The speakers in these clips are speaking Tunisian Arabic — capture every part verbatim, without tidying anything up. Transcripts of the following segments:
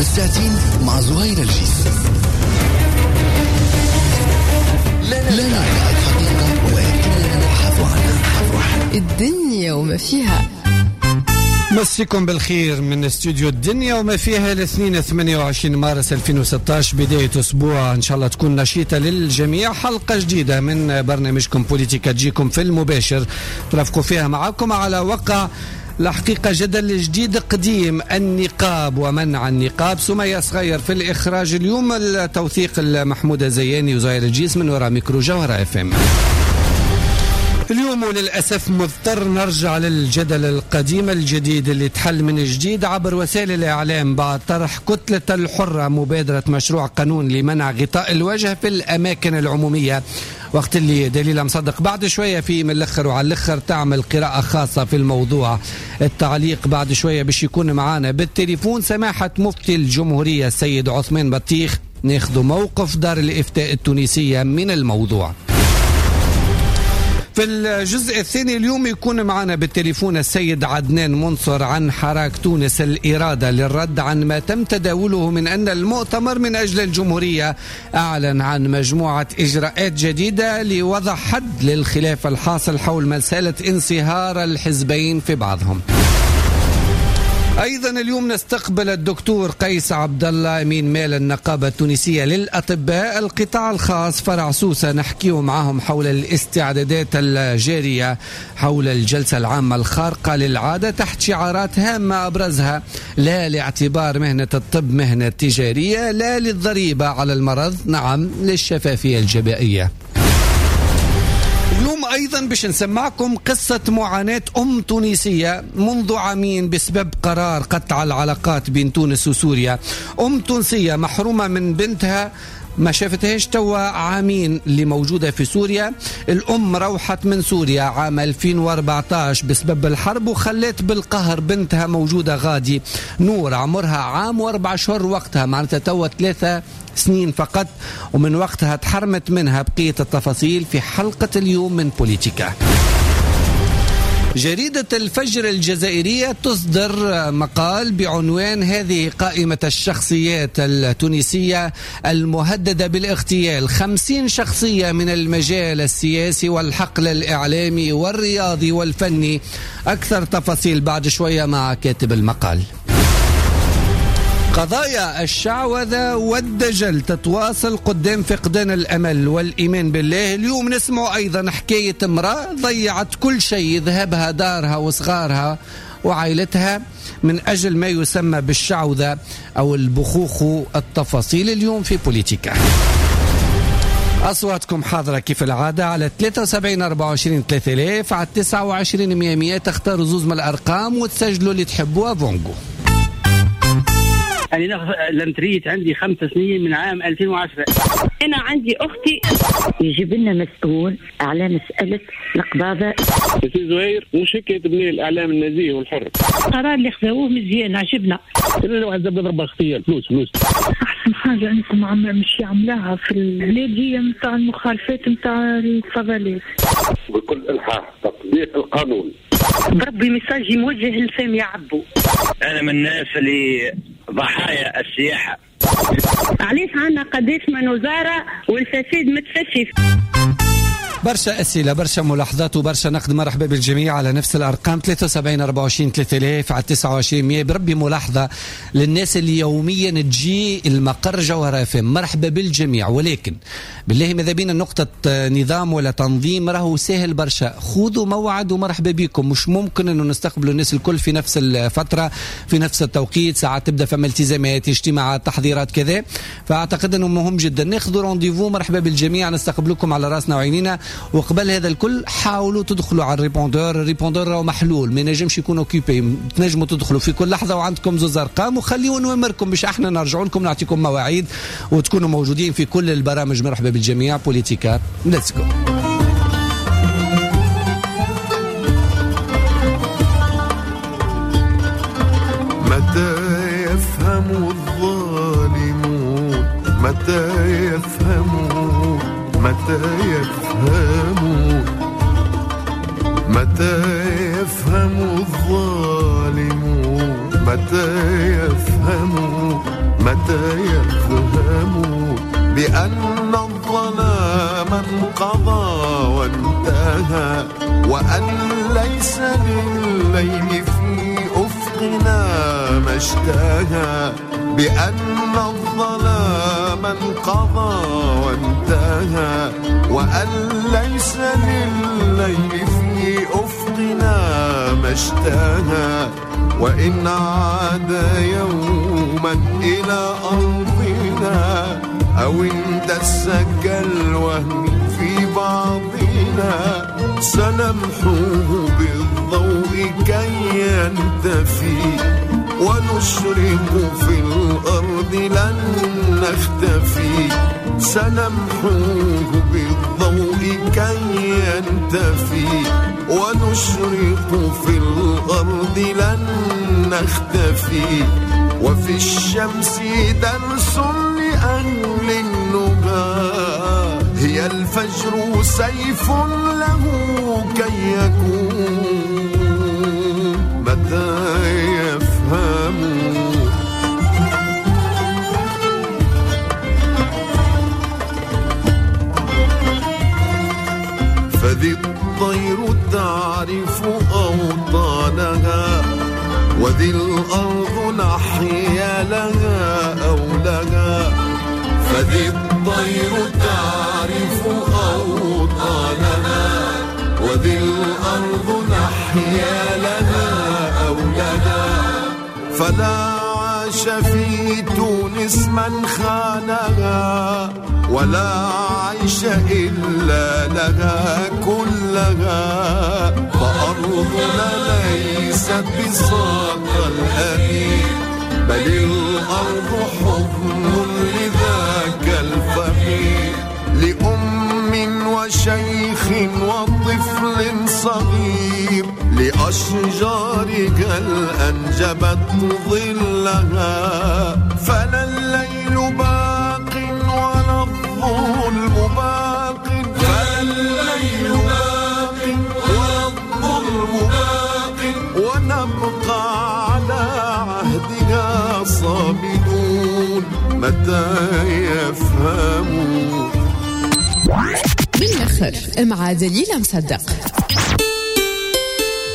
الساعتين مع زهير الجيس. لا ندعي الحقيقة ولكننا نبحث عنها. الدنيا وما فيها. مسيكم بالخير من استوديو الدنيا وما فيها الاثنين ثمانية وعشرين مارس ألفين وستة عشر، بداية أسبوع إن شاء الله تكون نشيطة للجميع. حلقة جديدة من برنامجكم بوليتيكا تجيكم في المباشر، ترافقوا فيها معكم على وقع الحقيقة جدل جديد قديم، النقاب ومنع النقاب. سمية صغير في الإخراج اليوم، التوثيق المحمودة زياني وزهير الجيس من وراء ميكرو جوهرة اف ام. اليوم وللأسف مضطر نرجع للجدل القديم الجديد اللي تحل من جديد عبر وسائل الإعلام بعد طرح كتلة الحرة مبادرة مشروع قانون لمنع غطاء الوجه في الأماكن العمومية، وقت اللي دليل مصدق بعد شوية في من الأخر وعلى الأخر تعمل قراءة خاصة في الموضوع. التعليق بعد شوية باش يكون معانا بالتليفون سماحة مفتي الجمهورية السيد عثمان بطيخ، ناخذ موقف دار الإفتاء التونسية من الموضوع. في الجزء الثاني اليوم يكون معنا بالتليفون السيد عدنان منصر عن حراك تونس الإرادة للرد عن ما تم تداوله من أن المؤتمر من أجل الجمهورية أعلن عن مجموعة إجراءات جديدة لوضع حد للخلاف الحاصل حول مسألة انصهار الحزبين في بعضهم. أيضا اليوم نستقبل الدكتور قيس عبد الله أمين مال النقابة التونسية للأطباء القطاع الخاص فرع سوسة، نحكيه معهم حول الاستعدادات الجارية حول الجلسة العامة الخارقة للعادة تحت شعارات هامة أبرزها لا لاعتبار مهنة الطب مهنة تجارية، لا للضريبة على المرض، نعم للشفافية الجبائية. اليوم أيضا باش نسمعكم قصة معاناة أم تونسية منذ عامين بسبب قرار قطع العلاقات بين تونس وسوريا. أم تونسية محرومة من بنتها ما شافتهاش توا عامين اللي موجودة في سوريا. الأم روحت من سوريا عام ألفين وأربعة عشر بسبب الحرب وخلت بالقهر بنتها موجودة غادي، نور عمرها عام وأربع شهور وقتها، معناتها توا ثلاثة سنين فقط، ومن وقتها تحرمت منها. بقية التفاصيل في حلقة اليوم من بوليتيكا. جريدة الفجر الجزائرية تصدر مقال بعنوان هذه قائمة الشخصيات التونسية المهددة بالاغتيال، خمسين شخصية من المجال السياسي والحقل الإعلامي والرياضي والفني. أكثر تفاصيل بعد شوية مع كاتب المقال. قضايا الشعوذة والدجل تتواصل قدام فقدان الأمل والإيمان بالله. اليوم نسمع أيضا حكاية امرأة ضيعت كل شيء، ذهبها دارها وصغارها وعائلتها من أجل ما يسمى بالشعوذة أو البخوخ. التفاصيل اليوم في بوليتيكا. أصواتكم حاضرة كيف العادة على ثلاثة وسبعين أربعة وعشرين ثلاثة آلاف، على تسعة وعشرين مية مية. تختاروا زوز من الأرقام وتسجلوا اللي تحبوها. فونجو. أنا l'entrée عندي خمس سنين من عام ألفين وعشرة. أنا عندي أختي. يجيب لنا مسؤول على مسألة القباضة. سي زهير مش هيك تبني الإعلام النزيه والحر. القرار اللي خذوه مزيان عجبنا. كل واحد زبد ضربة خطية فلوس فلوس. أحسن حاجة أنكم عم مش عملاها في البلاد هي متاع المخالفات متاع الفضلات. بكل إلحاح تطبيق القانون. بربي message موجه لسامي عبو. أنا من الناس اللي ضحايا السياحة. علاش عندنا قداش من وزارة والفساد متفشي؟ برشا أسئلة، برشا ملاحظات وبرشا نقد. مرحبا بالجميع على نفس الأرقام ثلاثة وسبعين أربعة وعشرين ثلاثة آلاف على تسعة وعشرين مية. بربي ملاحظة للناس اللي يوميا تجي المقر جوهرة اف ام، مرحبا بالجميع، ولكن بالله ماذا بينا نقطة نظام ولا تنظيم راهو سهل برشا. خذوا موعد ومرحبا بكم. مش ممكن انه نستقبلوا الناس الكل في نفس الفترة في نفس التوقيت، ساعات تبدا فما التزامات، اجتماعات، تحضيرات كذا، فأعتقد انه مهم جدا ناخذوا rendez-vous. مرحبا بالجميع، نستقبلكم على راسنا وعينينا. وقبل هذا الكل حاولوا تدخلوا على ال répondeur. ال répondeur راهو محلول، ما ينجمش يكون occupé، تنجموا تدخلوا في كل لحظة وعندكم زوز ارقام، وخليوا نوامركم باش احنا نرجعوا لكم نعطيكم مواعيد وتكونوا موجودين في كل البرامج. مرحبا بالجميع. بوليتيكا let's go. متى يفهم الظالمون، متى يفهمون، متى يفهمون، متى يفهم الظالمون، متى يفهمون، متى يفهمون بأن الظلام انقضى وانتهى، وأن ليس لليل في أفقنا ما اشتهى، بأن الظلام انقضى وانتهى، وأن ليس لليل في أفقنا ما اشتهى، وإن عاد يوما إلى أرضنا أو اندس كالوهم في بعضنا، سنمحوه بالضوء كي ينتفي، ونشرق في الأرض لن نختفي، سنمحوه بالضوء كي ينتفي، ونشرق في الأرض لن نختفي، وفي الشمس درس لأهل النهى، هي الفجر سيف له كي يكون، متى يفهمون. فذي الطير تعرف أوطانها، وذي الأرض نحيا لها أو لها، فذي الطير تعرف أوطانها، وذي الأرض نحيا لها أو لها، فلا عاش في تونس من خانها، ولا عيش إلا لها كلها، فأرضنا ليست بساط الأمين، بل الأرض حضن لذاك الفقير، لأم وشيخ وطفل صغير، لأشجارك الأنجبت ظلها، فلا الليل باق ولا الظلم باق، فلا الليل باق ولا الظلم باق، ونبقى على عهدها صامدون، متى يفهمون. بالآخر مع دليلة مصدق.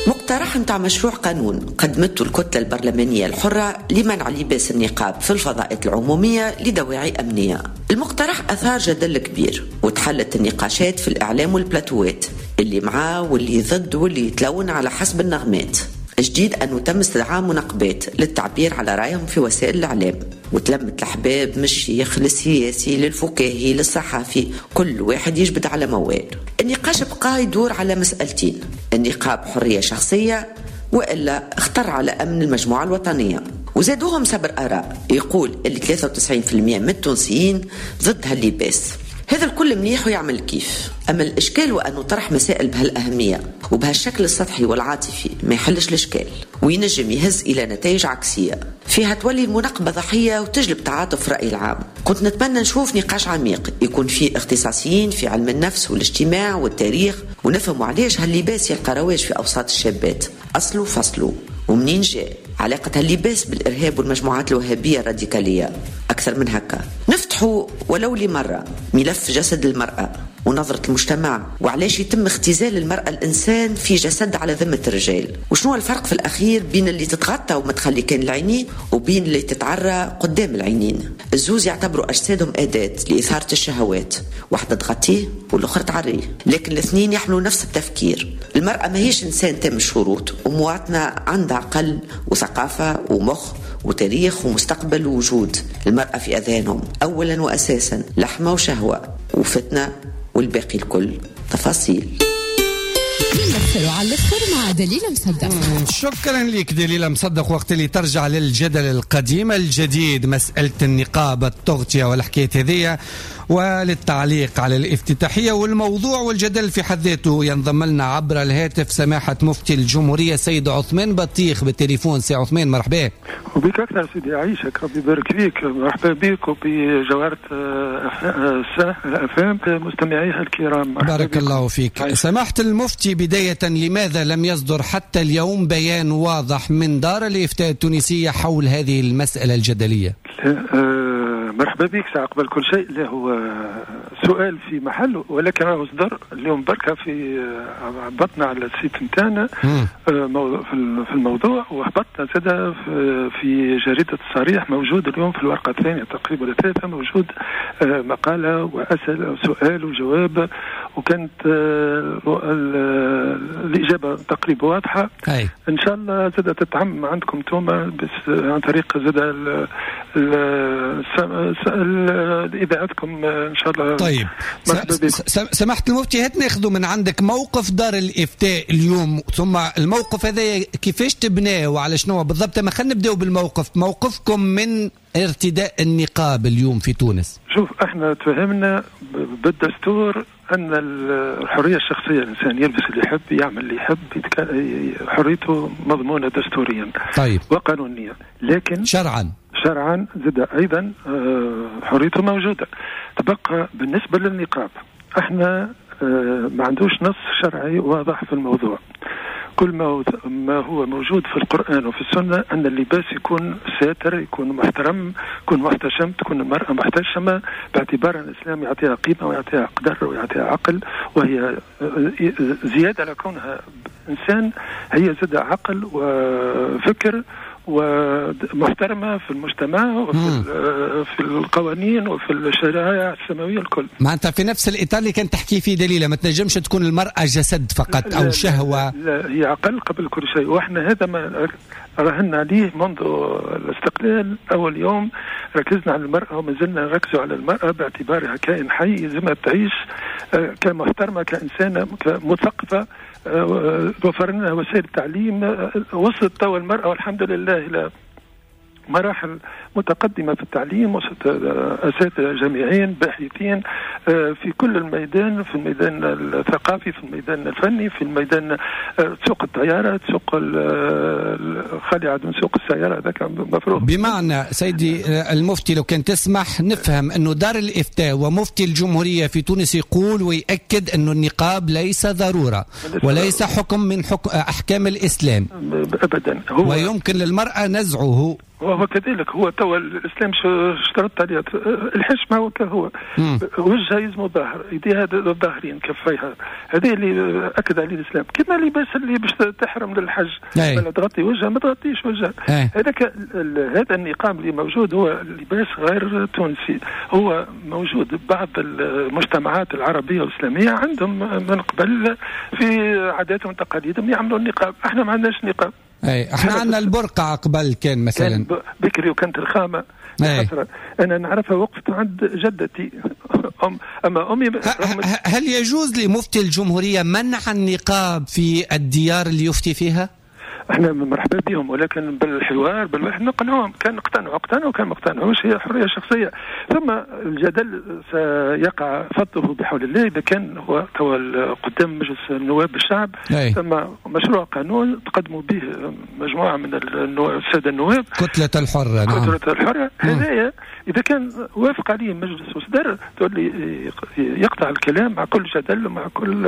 مقترح متاع مشروع قانون قدمته الكتلة البرلمانية الحرة لمنع لباس النقاب في الفضاءات العمومية لدواعي أمنية. المقترح أثار جدل كبير وتحلت النقاشات في الإعلام والبلاتوات، اللي معاه واللي ضد واللي يتلون على حسب النغمات. جديد أنه تم استدعاء منقبات للتعبير على رأيهم في وسائل الإعلام، وتلمت الأحباب من الشيخ للسياسي للفكاهي للصحافي، كل واحد يجبد على موال. النقاش بقى يدور على مسألتين: النقاب حرية شخصية وإلا اختر على أمن المجموعة الوطنية. وزادوهم سبر آراء يقول اللي ثلاثة وتسعين بالمئة من التونسيين ضد هاللباس. هذا الكل منيح ويعمل كيف، أما الإشكال وأنه طرح مسائل بهالأهمية وبهالشكل السطحي والعاطفي ما يحلش الإشكال، وينجم يهز إلى نتائج عكسية فيها تولي المناقبة ضحية وتجلب تعاطف رأي العام. كنت نتمنى نشوف نقاش عميق يكون فيه اختصاصيين في علم النفس والاجتماع والتاريخ، ونفهموا علاش هاللباس يلقى رواج في أوساط الشابات، أصله فصله ومنين جاء، علاقة هاللباس بالإرهاب والمجموعات الوهابية الراديكالية. أكثر من هكا نفتحوا ولو لمرة ملف جسد المرأة ونظرة المجتمع، وعلاش يتم اختزال المرأة الإنسان في جسد على ذمة الرجال، وشنو الفرق في الأخير بين اللي تتغطى وما تخلي كان العينين وبين اللي تتعرى قدام العينين. الزوز يعتبروا أجسادهم أداة لإثارة الشهوات، واحدة تغطيه والأخرى تعريه، لكن الاثنين يحملوا نفس التفكير. المرأة ما هيش إنسان تام الشروط، ومواطنة عندها عقل وثقافة ومخ وتاريخ ومستقبل ووجود. المرأة في أذهانهم أولا وأساسا لحمة وشهوة وفتنة، والباقي الكل تفاصيل. على الآخر مع دليلة مصدق. شكرا لك دليلة مصدق. وقت اللي ترجع للجدل القديم الجديد، مسألة النقاب التغطية والحكاية هذية، وللتعليق على الافتتاحية والموضوع والجدل في حد ذاته، ينضم لنا عبر الهاتف سماحة مفتي الجمهورية سيد عثمان بطيخ بالتليفون. سي عثمان مرحبا. وبك أكثر سيدي، عايشك ربي يبارك فيك. مرحبا بك وبجوهرة الأفهام مستمعيها الكرام. بارك الله فيك. سماحة المفتي، بداية بداية، لماذا لم يصدر حتى اليوم بيان واضح من دار الإفتاء التونسية حول هذه المسألة الجدلية؟ مرحبا بك. ساعة قبل كل شيء، لا هو سؤال في محله، ولكن راهو صدر اليوم بركة في هبطنا على ال site نتاعنا في الموضوع، وهبطنا زاد في جريدة الصريح، موجود اليوم في الورقة الثانية تقريبا الثالثة، موجود مقالة وأسئلة وسؤال وجواب، وكانت الإجابة تقريبا واضحة. أي. إن شاء الله زاد تتعم عندكم توما بس عن طريق زاد إذاعتكم إن شاء الله. طيب سمحت المفتي، هات ناخذ من عندك موقف دار الإفتاء اليوم، ثم الموقف هذا كيفاش تبناه وعلى شنو بالضبط. ما خلينا نبداو بالموقف، موقفكم من ارتداء النقاب اليوم في تونس. شوف، احنا تفهمنا بالدستور أن الحرية الشخصية، الإنسان يلبس اللي يحب، يعمل اللي يحب، حريته مضمونة دستوريا. طيب. وقانونيا، لكن شرعا شرعا زاد أيضا حريته موجودة. تبقى بالنسبة للنقاب، احنا ما عندوش نص شرعي واضح في الموضوع. كل ما ما هو موجود في القرآن وفي السنة أن اللباس يكون ساتر، يكون محترم، يكون محتشم، تكون المرأة محتشمة، باعتبار أن الإسلام يعطيها قيمة ويعطيها قدر ويعطيها عقل، وهي زيادة على كونها إنسان هي زاد عقل وفكر ومحترمة في المجتمع وفي في القوانين وفي الشرائع السماوية الكل. معناتها في نفس الإطار اللي كان تحكي فيه دليلة، ما تنجمش تكون المرأة جسد فقط أو شهوة. لا، هي عقل قبل كل شيء، وإحنا هذا ما راهنا عليه منذ الاستقلال. أول يوم ركزنا على المرأة وما زلنا نركز على المرأة باعتبارها كائن حي لازمها تعيش كمحترمة، كإنسانة، كمثقفة. وفرنا وسائل التعليم، وصلت تو المرأة والحمد لله إلى مراحل متقدمة في التعليم، وصلت أساتذة جامعيين باحثين في كل الميدان، في الميدان الثقافي، في الميدان الفني، في الميدان سوق الطيارة، سوق الخليعة من سوق السيارة، هذاك مفروض. بمعنى سيدي المفتي لو كان تسمح نفهم أنه دار الإفتاء ومفتي الجمهورية في تونس يقول ويأكد أنه النقاب ليس ضرورة وليس حكم من حكم أحكام الإسلام أبدا، هو ويمكن للمرأة نزعه. وهو كذلك، هو توا الإسلام اشترط عليه الحشمة، وكهو وجهها يزمو ظاهر، يديها ظاهرين، كفيها، هذا اللي أكد عليه الإسلام. كما اللباس اللي باش تحرم للحج، ولا تغطي وجهها ما تغطيش وجهها. هذاك هذا النقاب اللي موجود هو لباس غير تونسي، هو موجود بعض المجتمعات العربية والإسلامية عندهم من قبل في عاداتهم وتقاليدهم يعملوا النقاب، احنا ما عندناش نقاب. اي احنا عندنا البرقع قبل كان مثلا، كان بكري وكانت الخامة. انا نعرفها وقفت عند جدتي أم اما امي. هل يجوز لمفتي الجمهورية منع النقاب في الديار اللي يفتي فيها؟ احنا مرحبا بهم، ولكن بالحوار بالواحد نقنعهم، كان اقتنعوا اقتنعوا، كان ما اقتنعوش هي حرية شخصية. ثم الجدل سيقع فضة بحول الله اذا كان هو قدام مجلس النواب الشعب. أي. ثم مشروع قانون تقدموا به مجموعة من السادة النواب، كتلة الحرة. نعم. كتلة الحرة هذايا اذا كان وافق عليه المجلس وصدر تولي يقطع الكلام مع كل جدل ومع كل.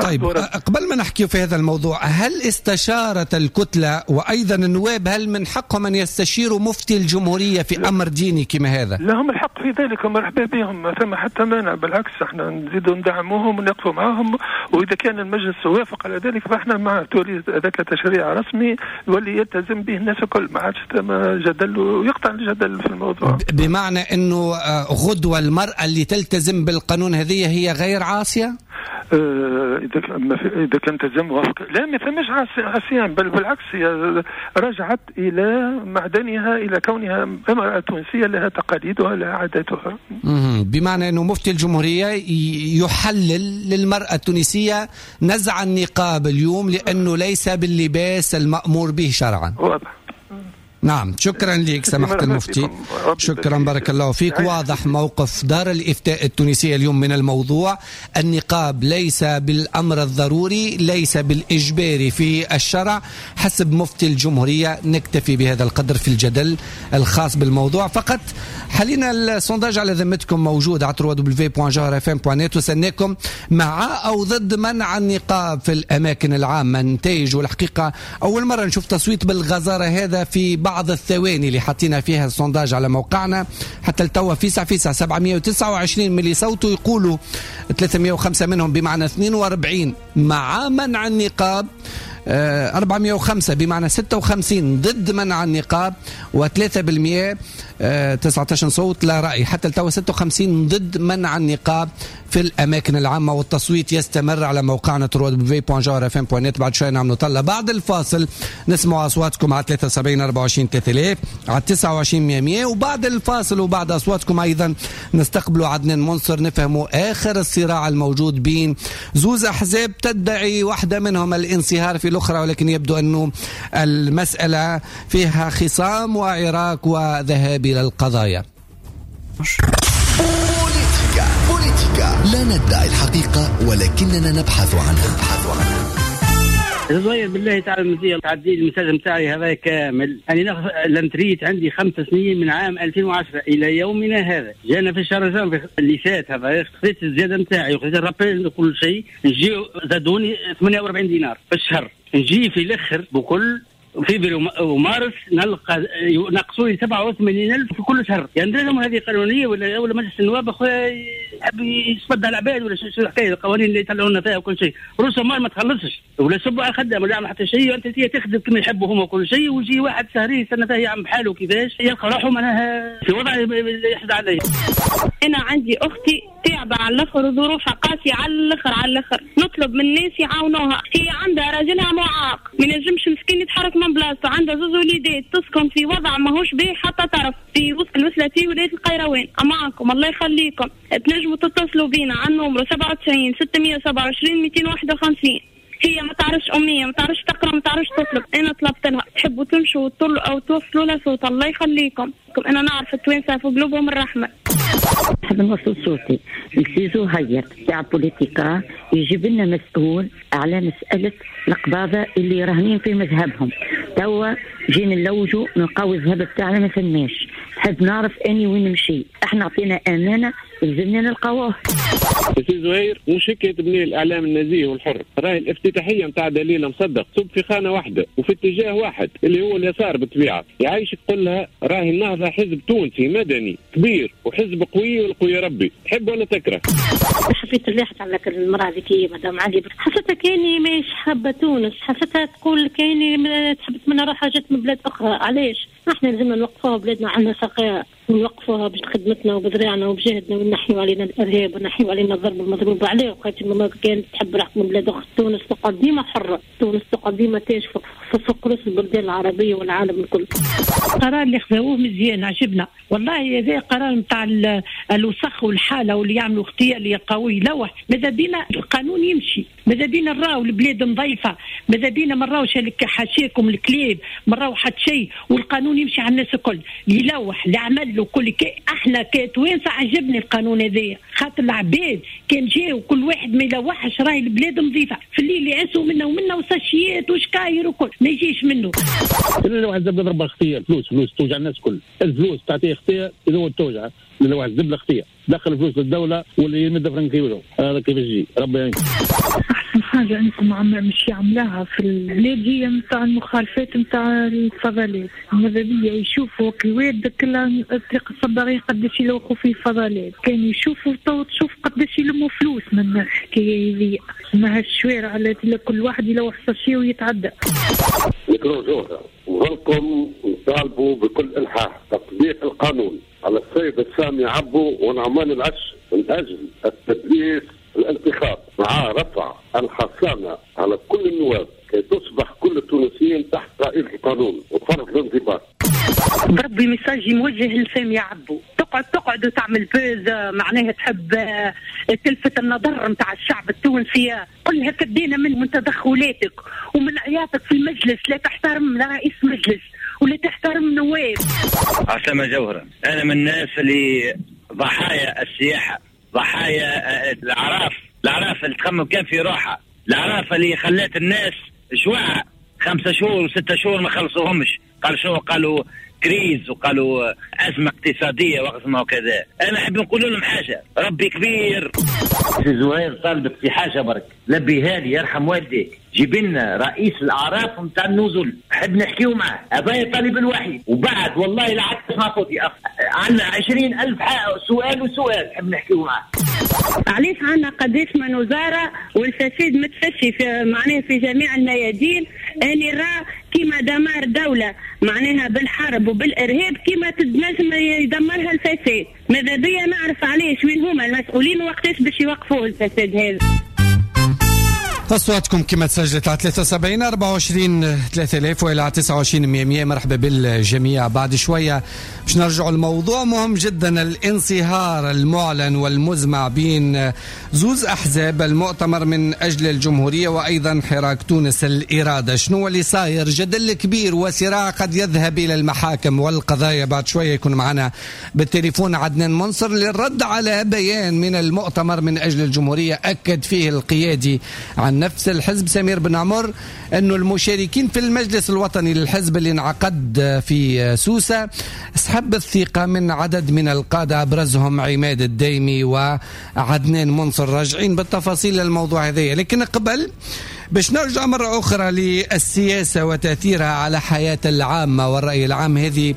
طيب قبل ما نحكي في هذا الموضوع، هل استشارت الكتلة وأيضا النواب هل من حقهم أن يستشيروا مفتي الجمهورية في أمر ديني كما هذا؟ لهم الحق في ذلك ومرحبا بهم، ما ثم حتى مانع، بالعكس احنا نزيدوا ندعموهم ونقفوا معهم، وإذا كان المجلس وافق على ذلك فاحنا مع تولي ذاك تشريع رسمي يولي يلتزم به الناس الكل، ما عادش ثم جدل ويقطع الجدل في الموضوع. بمعنى أنه غدوة المرأة اللي تلتزم بالقانون هذه هي غير عاصية؟ إذا إذا كان تلزم وافق، لا ما ثماش عصيان، بل بالعكس هي رجعت إلى معدنها، إلى كونها امرأة تونسية لها تقاليدها لها عاداتها. بمعنى أنه مفتي الجمهورية يحلل للمرأة التونسية نزع النقاب اليوم لأنه ليس باللباس المأمور به شرعا. واضح. نعم، شكرا لك سماحة المفتي، شكرا بارك الله فيك. واضح موقف دار الإفتاء التونسية اليوم من الموضوع. النقاب ليس بالأمر الضروري، ليس بالإجباري في الشرع حسب مفتي الجمهورية. نكتفي بهذا القدر في الجدل الخاص بالموضوع فقط. حاليا ال sondage على ذمتكم موجود على دبليو دبليو دبليو دوت جوهرة اف ام دوت نت، وسناكم مع أو ضد منع النقاب في الأماكن العامة. نتائج والحقيقة أول مرة نشوف تصويت بالغزارة هذا في بعض الثواني اللي حطينا فيها ال sondage على موقعنا. حتى التوا فيسع فيسع سبعمية وتسعة وعشرين من اللي صوتوا يقولوا ثلاثمية وخمسة منهم بمعنى اثنين وأربعين مع منع النقاب، أربعمية وخمسة بمعنى ستة وخمسين ضد منع النقاب، وثلاثة بالمئة تسعة عشر صوت لا رأي. حتى التوا ستة وخمسين ضد منع النقاب في الأماكن العامة، والتصويت يستمر على موقعنا دبليو دبليو دبليو دوت جوهرة اف ام دوت نت. بعد شوي نعملوا طلة بعد الفاصل، نسمع أصواتكم على ثلاثة وسبعين أربعة وعشرين ثلاثة آلاف، على تسعة وعشرين مئة مئة. وبعد الفاصل وبعد أصواتكم أيضا نستقبلوا عدنان منصر، نفهموا آخر الصراع الموجود بين زوز أحزاب تدعي واحدة منهم الانصهار في الأخرى، ولكن يبدو أنه المسألة فيها خصام وعراك وذهاب إلى القضايا. بوليتيكا بوليتيكا، لا ندعي الحقيقة ولكننا نبحث عنها. زهير بالله تعالى المزية تعدي ال message نتاعي هذا كامل. أنا ناخذ la retraite عندي خمس سنين من عام ألفين وعشرة إلى يومنا هذا، جانا في الشهر جانفي اللي فات هذا خذيت الزيادة نتاعي وخذيت ال rappel وكل شيء، نجي زادوني ثمانية وأربعين دينار في الشهر. نجي في الآخر بكل فبراير ومارس نلقى نقصوا لي سبعة وثمانين ألف في كل شهر. يعني لازم هذه قانونية ولا ولا مجلس النواب اخويا يحب يصفد على العباد ولا شو الحكاية؟ القوانين اللي يطلعوا لنا فيها وكل شيء، رسوم ما تخلصش ولا سبوا على الخدام ولا يعمل حتى شيء، وانت تخدم كما يحبوا هما كل شيء، ويجي واحد شهرين يستنى فيه يعمل بحاله كيفاش يلقى روحه معناها في وضع يحزن عليه. انا عندي اختي تعبة على الاخر وظروفها قاسية على الاخر على الاخر، نطلب من الناس يعاونوها. هي عندها راجلها معاق ما ينجمش مسكين يتحرك من بلاصته، عندها زوز وليدات، تسكن في وضع ماهوش باهي حتى طرف في وسط الوسلتي ولاية القيروان. معاكم الله يخليكم، تنجموا تتصلوا بينا على النمرو سبعة وتسعين ستمية وسبعة وعشرين مئتين وواحد وخمسين. هي ما تعرفش أمية، ما تعرفش تقرأ، ما تعرفش تطلب. أنا طلبت لها تحبوا تمشوا وتطلوا أو توصلوا لها صوت، الله يخليكم. أنا نعرف التوانسة في قلوبهم الرحمة. نحب نوصل صوتي لسي زهير تاع بوليتيكا، يجيب لنا مسؤول على مسألة القباضة اللي راهنين في مذهبهم. توا جينا نلوجوا نلقاو الذهب بتاعنا ما فماش، نحب نعرف اني وين نمشي. احنا عطينا امانه لازمنا نلقاوه. سي زهير مش هيك تبني الاعلام النزيه والحر، راهي الافتتاحيه نتاع دليل مصدق تصب في خانه واحدة وفي اتجاه واحد اللي هو اليسار بالطبيعة. يعيشك قل لها راهي النهضة حزب تونسي مدني كبير وحزب قوي والقوي ربي، تحب ولا تكره. حبيت نلاحظ على المراة ذيك مدام علي، حسيتها كاني ماهيش حابة تونس، حسيتها تقول كاني تحب تمنى روحها جات من بلاد اخرى. علاش؟ احنا لازمنا نوقفوها بلادنا، عندنا سقاء ونوقفوها بخدمتنا وبذراعنا وبجهدنا، ونحيوا علينا الارهاب ونحيوا علينا الضرب المضروب عليه. وقت ما كانت تحب روحك من بلاد اخرى، تونس تقعد ديما حره، تونس تقعد ديما تاج فوق رؤوس البلدان العربية والعالم الكل. القرار اللي خذوه مزيان عجبنا والله، هذا قرار نتاع الوسخ والحالة واللي يعملوا اختيار اللي يلقاوه يلوح. ماذا بينا القانون يمشي، ماذا بينا نراو البلاد نظيفة، ماذا بينا ما نراوش حاشاكم الكلاب، ما نراو حتى شيء، والقانون يمشي على الناس الكل، يلوح اللي عمل له كل. احنا كتوانسه عجبني القانون هذايا، خاطر العباد كان جاو كل واحد ما يلوحش راهي البلاد نظيفة، في الليل يعسوا منا ومنا وساشيات وشكاير وكل ما يجيش منه. اللي واحد زبله ضربه خطيه، فلوس فلوس توجع الناس كل، الفلوس تعطيه خطيه اذا توجع، اللي واحد زبله خطيه دخل فلوس للدولة واللي يمد فرنك يوجعه، هذا كيف يجي ربي يعينك. احسن حاجة انكم عم مش يعملوها في البلاد هي نتاع المخالفات نتاع الفضلات، ماذا بيا يشوفوا الواد كلها الطريق الصباغي قداش يلوحوا فيه فضلات، كان يشوفوا تو تشوف قداش يلموا فلوس من الحكاية هذه، ما هالشوارع اللي كل واحد يلوح sachet ويتعدى. ميكرو جوهرة وظلكم نطالبوا بكل الحاح تطبيق القانون على السيد السامي عبو ونعمان العش من اجل التدليس الانتخاب مع رفع الحصانة على كل النواب كي تصبح كل التونسيين تحت طائلة القانون وفرض الانضباط. بربي message موجه لسامي عبو، تقعد تقعد وتعمل buzz، معناها تحب تلفت النظر نتاع الشعب التونسي، قل لها كدينا من من تدخلاتك ومن عياطك في المجلس، لا تحترم لا رئيس مجلس ولا تحترم نواب. عسلامة جوهرة، أنا من الناس اللي ضحايا السياحة، ضحايا الأعراف، الأعراف اللي تخمم كان في روحها، الأعراف اللي خلات الناس جوعة خمسة شهور وستة شهور ما خلصوهمش، قالوا شو؟ قالوا crise وقالوا أزمة اقتصادية وأزمة وكذا. أنا أحب نقول لهم حاجة، ربي كبير. زهير طالبك في حاجة برك، لبيها لي يرحم والديك، جيب لنا رئيس الأعراف نتاع النزل، حب نحكيو معاه، هذا طالب الوحيد. وبعد والله لا عاد تسمع صوتي، عندنا عشرين ألف سؤال وسؤال حب نحكيو معاه. علاش عندنا قداش من وزارة والفساد متفشي في معناه في جميع الميادين؟ اللي راه كيما دمار دولة معناها بالحرب وبالإرهاب كيما تنجم يدمرها الفساد. ماذا بيا نعرف علاش، وين هما المسؤولين وقتاش باش يوقفوا الفساد هذا؟ أصواتكم كما تسجلت على ثلاثة وسبعين أربعة وعشرين ثلاثة آلاف وإلى تسعة وعشرين مئة. مرحبا بالجميع. بعد شوية باش نرجعوا الموضوع مهم جدا، الانصهار المعلن والمزمع بين زوز أحزاب، المؤتمر من أجل الجمهورية وأيضا حراك تونس الإرادة. شنو اللي صاير؟ جدل كبير وصراع قد يذهب إلى المحاكم والقضايا. بعد شوية يكون معنا بالتليفون عدنان منصر للرد على بيان من المؤتمر من أجل الجمهورية أكد فيه القيادي عن نفس الحزب سمير بن عمر أنه المشاركين في المجلس الوطني للحزب اللي انعقد في سوسة سحب الثقة من عدد من القادة أبرزهم عماد الدايمي وعدنان منصر. راجعين بالتفاصيل للموضوع هذا، لكن قبل باش نرجع مرة أخرى للسياسة وتأثيرها على حياة العامة والرأي العام. هذه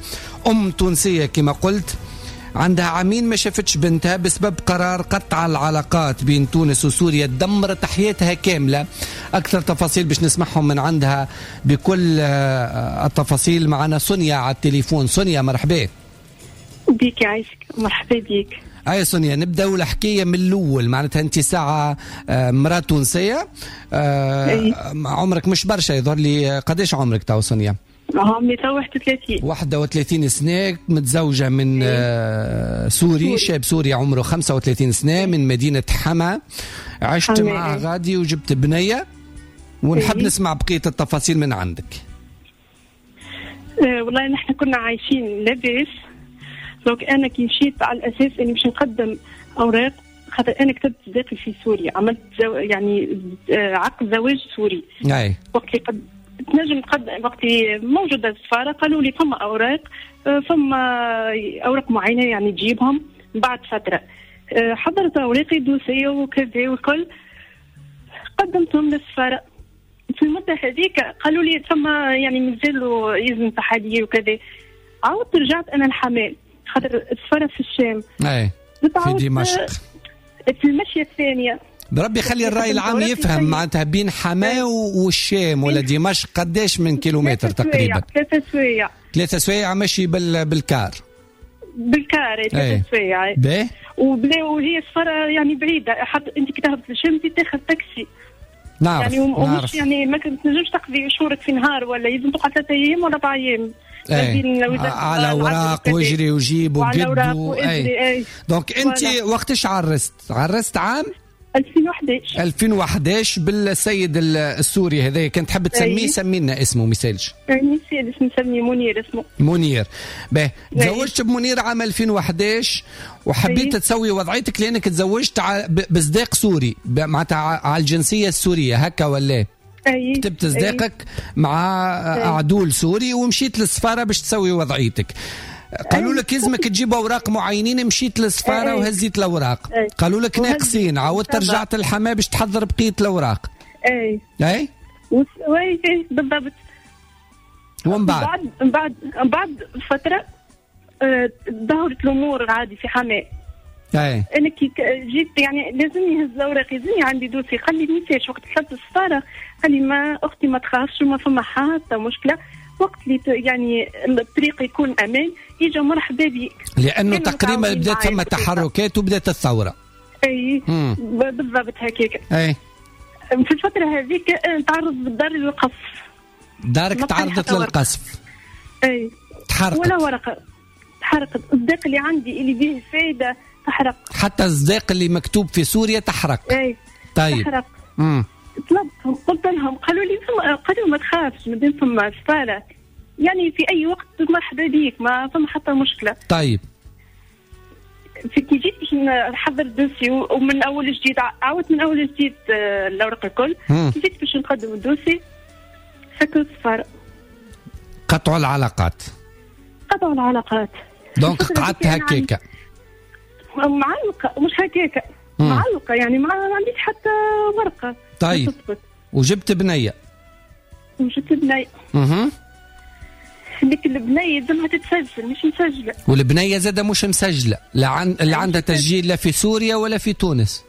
أم تونسية كما قلت عندها عامين ما شافتش بنتها بسبب قرار قطع العلاقات بين تونس وسوريا، دمرت حياتها كاملة. أكثر تفاصيل باش نسمعهم من عندها بكل التفاصيل. معنا سونيا على التليفون. سونيا مرحبا بيك، يعيشك، مرحبا بيك. أي سونيا، نبدأ الحكاية من الأول. معناتها أنت ساعة مرأة تونسية، عمرك مش برشا يظهر لي، قداش عمرك تو سونيا؟ عمري تو واحد وثلاثين. واحد وثلاثين سنة، متزوجة من سوري, سوري، شاب سوري عمره خمسة وثلاثين سنة من مدينة حما. عشت معه غادي وجبت بنية، ونحب نسمع بقية التفاصيل من عندك. أه والله نحن كنا عايشين لاباس. donc أنا كي مشيت على الأساس إني باش نقدم أوراق، خاطر أنا كتبت صداقي في سوريا، عملت زو... يعني عقد زواج سوري. أي. وقت اللي قد... تنجم تقدم وقت موجودة السفارة قالوا لي فما أوراق، فما أوراق معينة يعني تجيبهم بعد فترة. حضرت أوراقي dossier وكذا وكل، قدمتهم للسفارة. في المدة هذيك قالوا لي فما يعني مازالوا يلزم تحاليل وكذا. عاودت رجعت أنا الحمام خاطر السفارة في الشام. أي في دمشق. في المشية الثانية. بربي خلي الرأي العام يفهم معناتها بين حماة والشام ولا دمشق قداش من كيلومتر تقريبا؟ ثلاثة سوايع. ثلاثة سوايع ماشي بال بالكار. بالكار ثلاثة سوايع. باهي. وهي السفارة يعني بعيدة، حتى أنت كي تهبط للشام تاخذ تاكسي. نعرف يعني ومش نعرف. يعني ما تنجمش تقضي شهورك في نهار، ولا لازم تقعد ثلاثة أيام ولا أربع أيام. ايه. على اوراق واجري وجيب وقد و... اي. donc انت وقتاش عرست؟ عرست عام ألفين وأحد عشر. ألفين وأحد عشر بالسيد السوري هذا، كنت تحب تسميه؟ سمي لنا اسمه ميسالش. ميسالش نسميه منير اسمه. منير. باهي، تزوجت بمنير عام ألفين وأحد عشر وحبيت تسوي وضعيتك لانك تزوجت بصداق سوري، معناتها على الجنسية السورية هكا ولا؟ أي. كتبت صداقك مع عدول سوري ومشيت للسفاره باش تسوي وضعيتك. قالوا لك لازمك تجيب اوراق معينين، مشيت للسفاره وهزيت الاوراق. قالوا لك ناقصين، عاودت رجعت الحماة باش تحضر بقية الاوراق. اي اي oui بالضبط. ومن بعد من بعد من بعد فترة ظهرت الامور عادي في حماة. اي انا كي جيت يعني لازمني نهز الاوراق، لازمني عندي dossier. قال لي ميساج وقت دخلت السفارة، قال لي ما اختي ما تخافش وما فما حتى مشكلة، وقت اللي يعني الطريق يكون امان يجي مرحبا بك. لانه تقريبا بدات ثم تحركات وبدات الثورة. اي بالضبط هكاك. اي في الفترة هذيك تعرض بالدار للقصف. دارك تعرضت للقصف؟ اي تحرقت ولا ورقة تحرقت. الصداق اللي عندي اللي به فايده تحرق، حتى الصداق اللي مكتوب في سوريا تحرق. اي طيب تحرق. امم طلبتهم قلت لهم، قالوا لي قالوا ما تخافش مادام فما سفارة يعني في اي وقت مرحبا بيك، ما فما حتى مشكلة. طيب في كي جيت باش نحضر dossier ومن اول جديد، عاودت من اول جديد الاوراق الكل، كي جيت باش نقدم ال dossier سكروا السفارة، قطعوا العلاقات. قطعوا العلاقات. donc قعدت هكاكا معلقه، مش هكاكا معلقه، يعني ما عنديش حتى ورقة. طيب وجبت بنيه. وجبت بنيه. اها. ديك البنية لازمها تتسجل، مش مسجله. والبنية زاده مش مسجله، لا عن... اللي عندها تسجيل لا في سوريا ولا في تونس.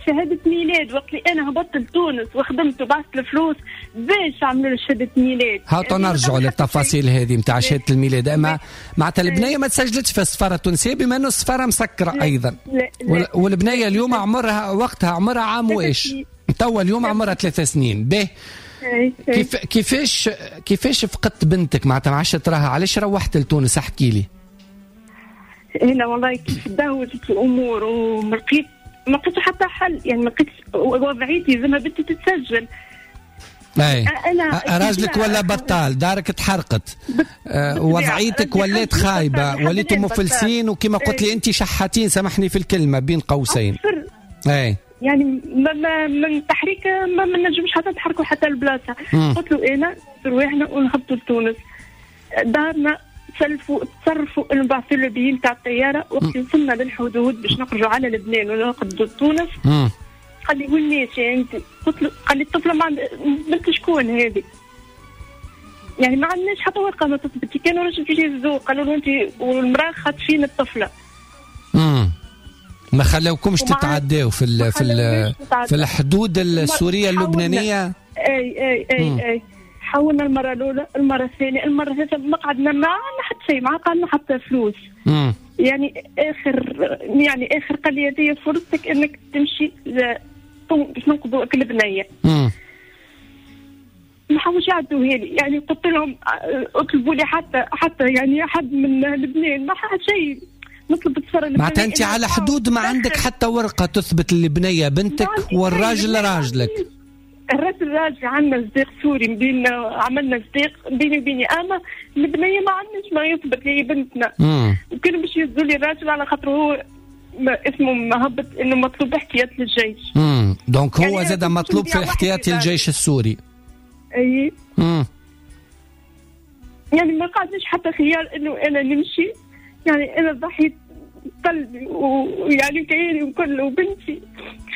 شهادة ميلاد، وقت اللي انا هبطت لتونس وخدمت وبعثت الفلوس باش عملوا شهادة ميلاد. هاتوا نرجعوا للتفاصيل هذه نتاع شهادة الميلاد. اما معناتها البنية ما تسجلتش في السفارة التونسية بما انه السفارة مسكره ايضا. لا لا. والبنية اليوم عمرها وقتها عمرها عام وايش؟ توا اليوم عمرها ثلاث سنين. به كيف كيفاش كيفاش فقدت بنتك؟ معناتها ما عادش تراها، علاش روحت لتونس؟ احكي لي. هنا والله كيف تدهورت الامور وما لقيت ما لقيتش حتى حل، يعني ما لقيتش وضعيتي زي ما بنتي تتسجل. اي انا راجلك ولا بطال، دارك تحرقت، آه وضعيتك ولات خايبة، وليتوا مفلسين، وكما قلت لي انت شحاتين، سامحني في الكلمة بين قوسين. اي يعني ما ما من تحريك ما, ما نجمش حتى نتحركوا حتى البلاصة. قلت له انا رواحنا ونهبطوا لتونس، دارنا سلفوا تصرفوا نبعثوا له بيين تاع الطيارة. وقت وصلنا للحدود باش نخرجوا على لبنان ونقدوا تونس، قال لي وين ماشية انت؟ قلت له، قال لي الطفلة ما عند بنت شكون هذه؟ يعني ما عندناش حتى ورقة ما تثبت. كانوا رجل في الذوق قالوا له انت والمراة خاطفين الطفلة. امم ما خلاوكمش تتعداو في ال في ال في الحدود السورية اللبنانية. اي اي اي مم. اي حاولنا المرة الاولى، المرة الثانية، المرة الثالثة، ما قعدنا ما عندنا حتى شيء، ما قعدنا حتى فلوس. مم. يعني اخر يعني اخر قال لي هذه فرصتك انك تمشي باش ننقذوا البنية. ما حاولوش يعدوها لي، يعني قلت لهم اطلبوا لي حتى حتى يعني حد من لبنان، ما حد شيء نطلب السفارة. معناتها انت على حدود ما عندك حتى ورقة تثبت البنية بنتك والراجل راجلك. الراجل راجل، عندنا صديق سوري بين عملنا صديق بيني وبيني، اما البنية ما عندناش ما يثبت لي بنتنا. وكانوا باش يهزوا لي الراجل على خاطر هو اسمه مهبط انه مطلوب احتياط للجيش. امم donc هو يعني زاد مطلوب في احتياط الجيش السوري. اي امم يعني ما قعدناش حتى خيار انه انا نمشي، يعني انا ضحيت قلبي ويعني كياني وكل، وبنتي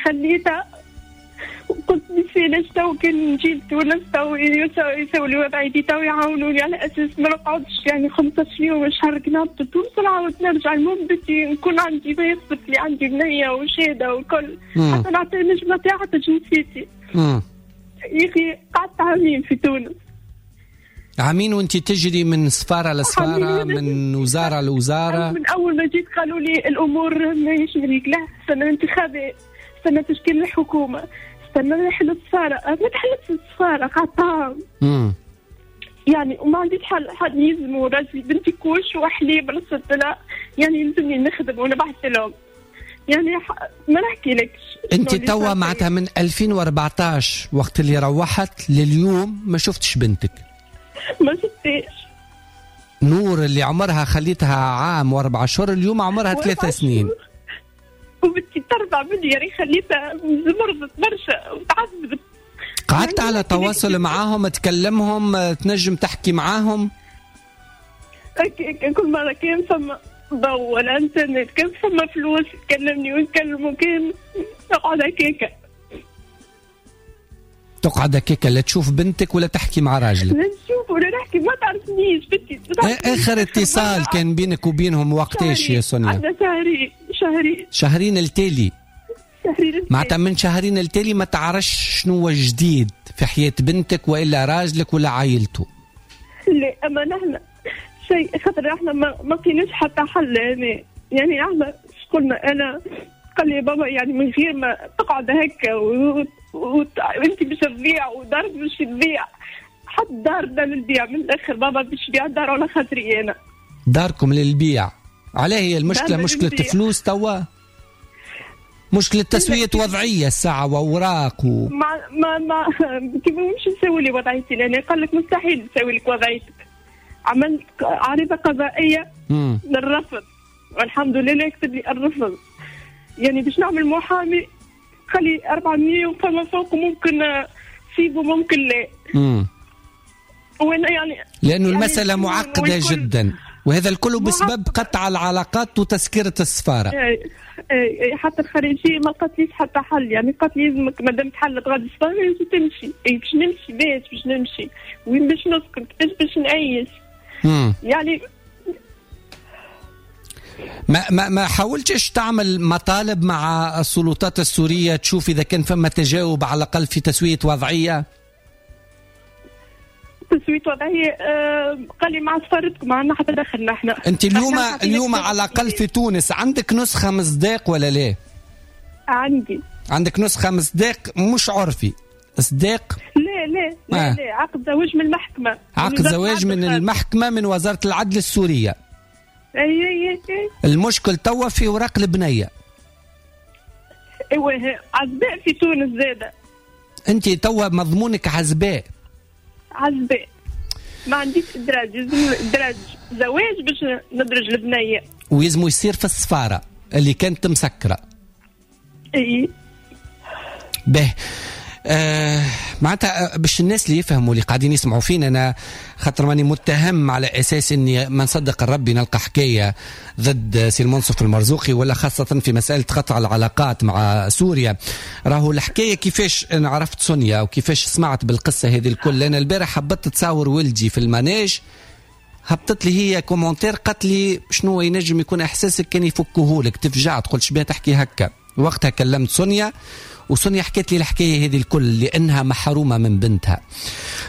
خليتها وقلت نسيناش تو كان نجي لتونس تو يساو لي وضعيتي تو يعاونوني على اساس ما نقعدش يعني خمسطاش يوم شهر كي نهبط لتونس ونعاود نرجع. المهم بنتي نكون عندي ما يثبت لي عندي بنيه وشهادة وكل، حتى نعطي نجم نعطيها حتى جنسيتي. يا اخي قعدت عامين في تونس. عامين وانت تجري من سفارة لسفاره، من وزارة لوزارة. من اول ما جيت قالوا لي الامور ماهيش مريقله، استنى انتخابات، استنى تشكيل الحكومة، استنى نحل السفارة، ما تحلتش السفارة قعدت عام. يعني وما عنديش حل، حد يلزموا راجلي بنتي couches وحليب رصدت لها، يعني يلزمني نخدم ونبعث لهم. يعني ما نحكي لكش. انت توا معناتها من ألفين وأربعطاش وقت اللي روحت لليوم ما شفتش بنتك؟ ما شفتيش. نور اللي عمرها خليتها عام واربع شهور اليوم عمرها ثلاث سنين. وبنتي ترضع مني، يعني خليتها مرضت برشا وتعذبت. قعدت على تواصل معاهم، تكلمهم، تنجم تحكي معاهم؟ كل مرة كان فما ضوء ولا انترنت، كان فما فلوس تكلمني ونكلمه، كان نقعد هكاكا. تقعد هكاكا لا تشوف بنتك ولا تحكي مع راجلك؟ لا نشوف ولا نحكي، ما تعرفنيش بنتي. اخر اتصال كان بينك وبينهم وقتاش يا سونيا؟ عندنا شهرين. شهرين شهرين التالي. شهرين معناتها من شهرين التالي ما تعرفش شنو هو جديد في حياة بنتك والا راجلك ولا عائلته؟ لا اما نحن شيء، خاطر احنا ما لقيناش حتى حل. يعني يعني احنا قلنا انا قال لي بابا يعني من غير ما تقعد هكا وانت باش تضيع ودارك باش تضيع، حط دارنا للبيع من الاخر. بابا باش يبيع دار على خاطري انا. داركم للبيع؟ علاه هي المشكلة؟ مشكلة فلوس توا؟ مشكلة تسويه وضعية الساعة واوراق و... ما ما ما كيف مش نسوي لي وضعيتي، لان قال لك مستحيل نسوي لك وضعيتك. عملت عريضة قضائية للرفض والحمد لله كتب لي الرفض. يعني باش نعمل محامي خلي أربعمية وفما فوق ممكن سيبه ممكن لا. امم وانا يعني لانه يعني المسالة معقدة جدا، وهذا الكل بسبب قطع العلاقات وتسكيره السفارة. اي اي حتى الخارجية ما لقاتليش حتى حل، يعني قالت لي لازمك مادام تحلت غادي السفارة لازم تمشي. اي باش نمشي باش باش نمشي وين باش نسكن كيفاش باش نعيش؟ مم. يعني ما ما ما حاولتش تعمل مطالب مع السلطات السورية تشوف اذا كان فما تجاوب على الاقل في تسويه وضعية؟ تسويه وضعية آه قال لي مع سفارتكم ما عندنا حتى دخل نحن. انت اليوم اليوم على الاقل في تونس عندك نسخه مصداق ولا لا؟ عندي. عندك نسخه مصداق مش عرفي، صداق؟ لا لا لا, آه. لا عقد زواج من المحكمة. عقد زواج من المحكمة من وزارة العدل السورية. اي اي اي. المشكل توا في اوراق البنية. ايوه عزباء في تونس زاده. انت توا مضمونك عزباء. عزباء ما عنديش ادراج، لازم ادراج زواج باش ندرج البنية. ويلزمو يصير في السفارة اللي كانت مسكره. اي به آه معناتها باش الناس اللي يفهموا اللي قاعدين يسمعوا فينا، انا خاطر ماني متهم على اساس اني ما نصدق الربي نلقى حكاية ضد سي المنصف المرزوقي، ولا خاصة في مسالة قطع العلاقات مع سوريا. راهو الحكاية كيفاش انا عرفت سونيا وكيفاش سمعت بالقصة هذه الكل. انا البارح هبطت تصاور ولدي في ال manège، هبطت لي هي commentaire قالت لي شنو ينجم يكون احساسك كان يفكوهولك، تفجعت قلت شبيه تحكي هكا. وقتها كلمت سونيا وسونيا حكت لي الحكاية هذه الكل لانها محرومة من بنتها.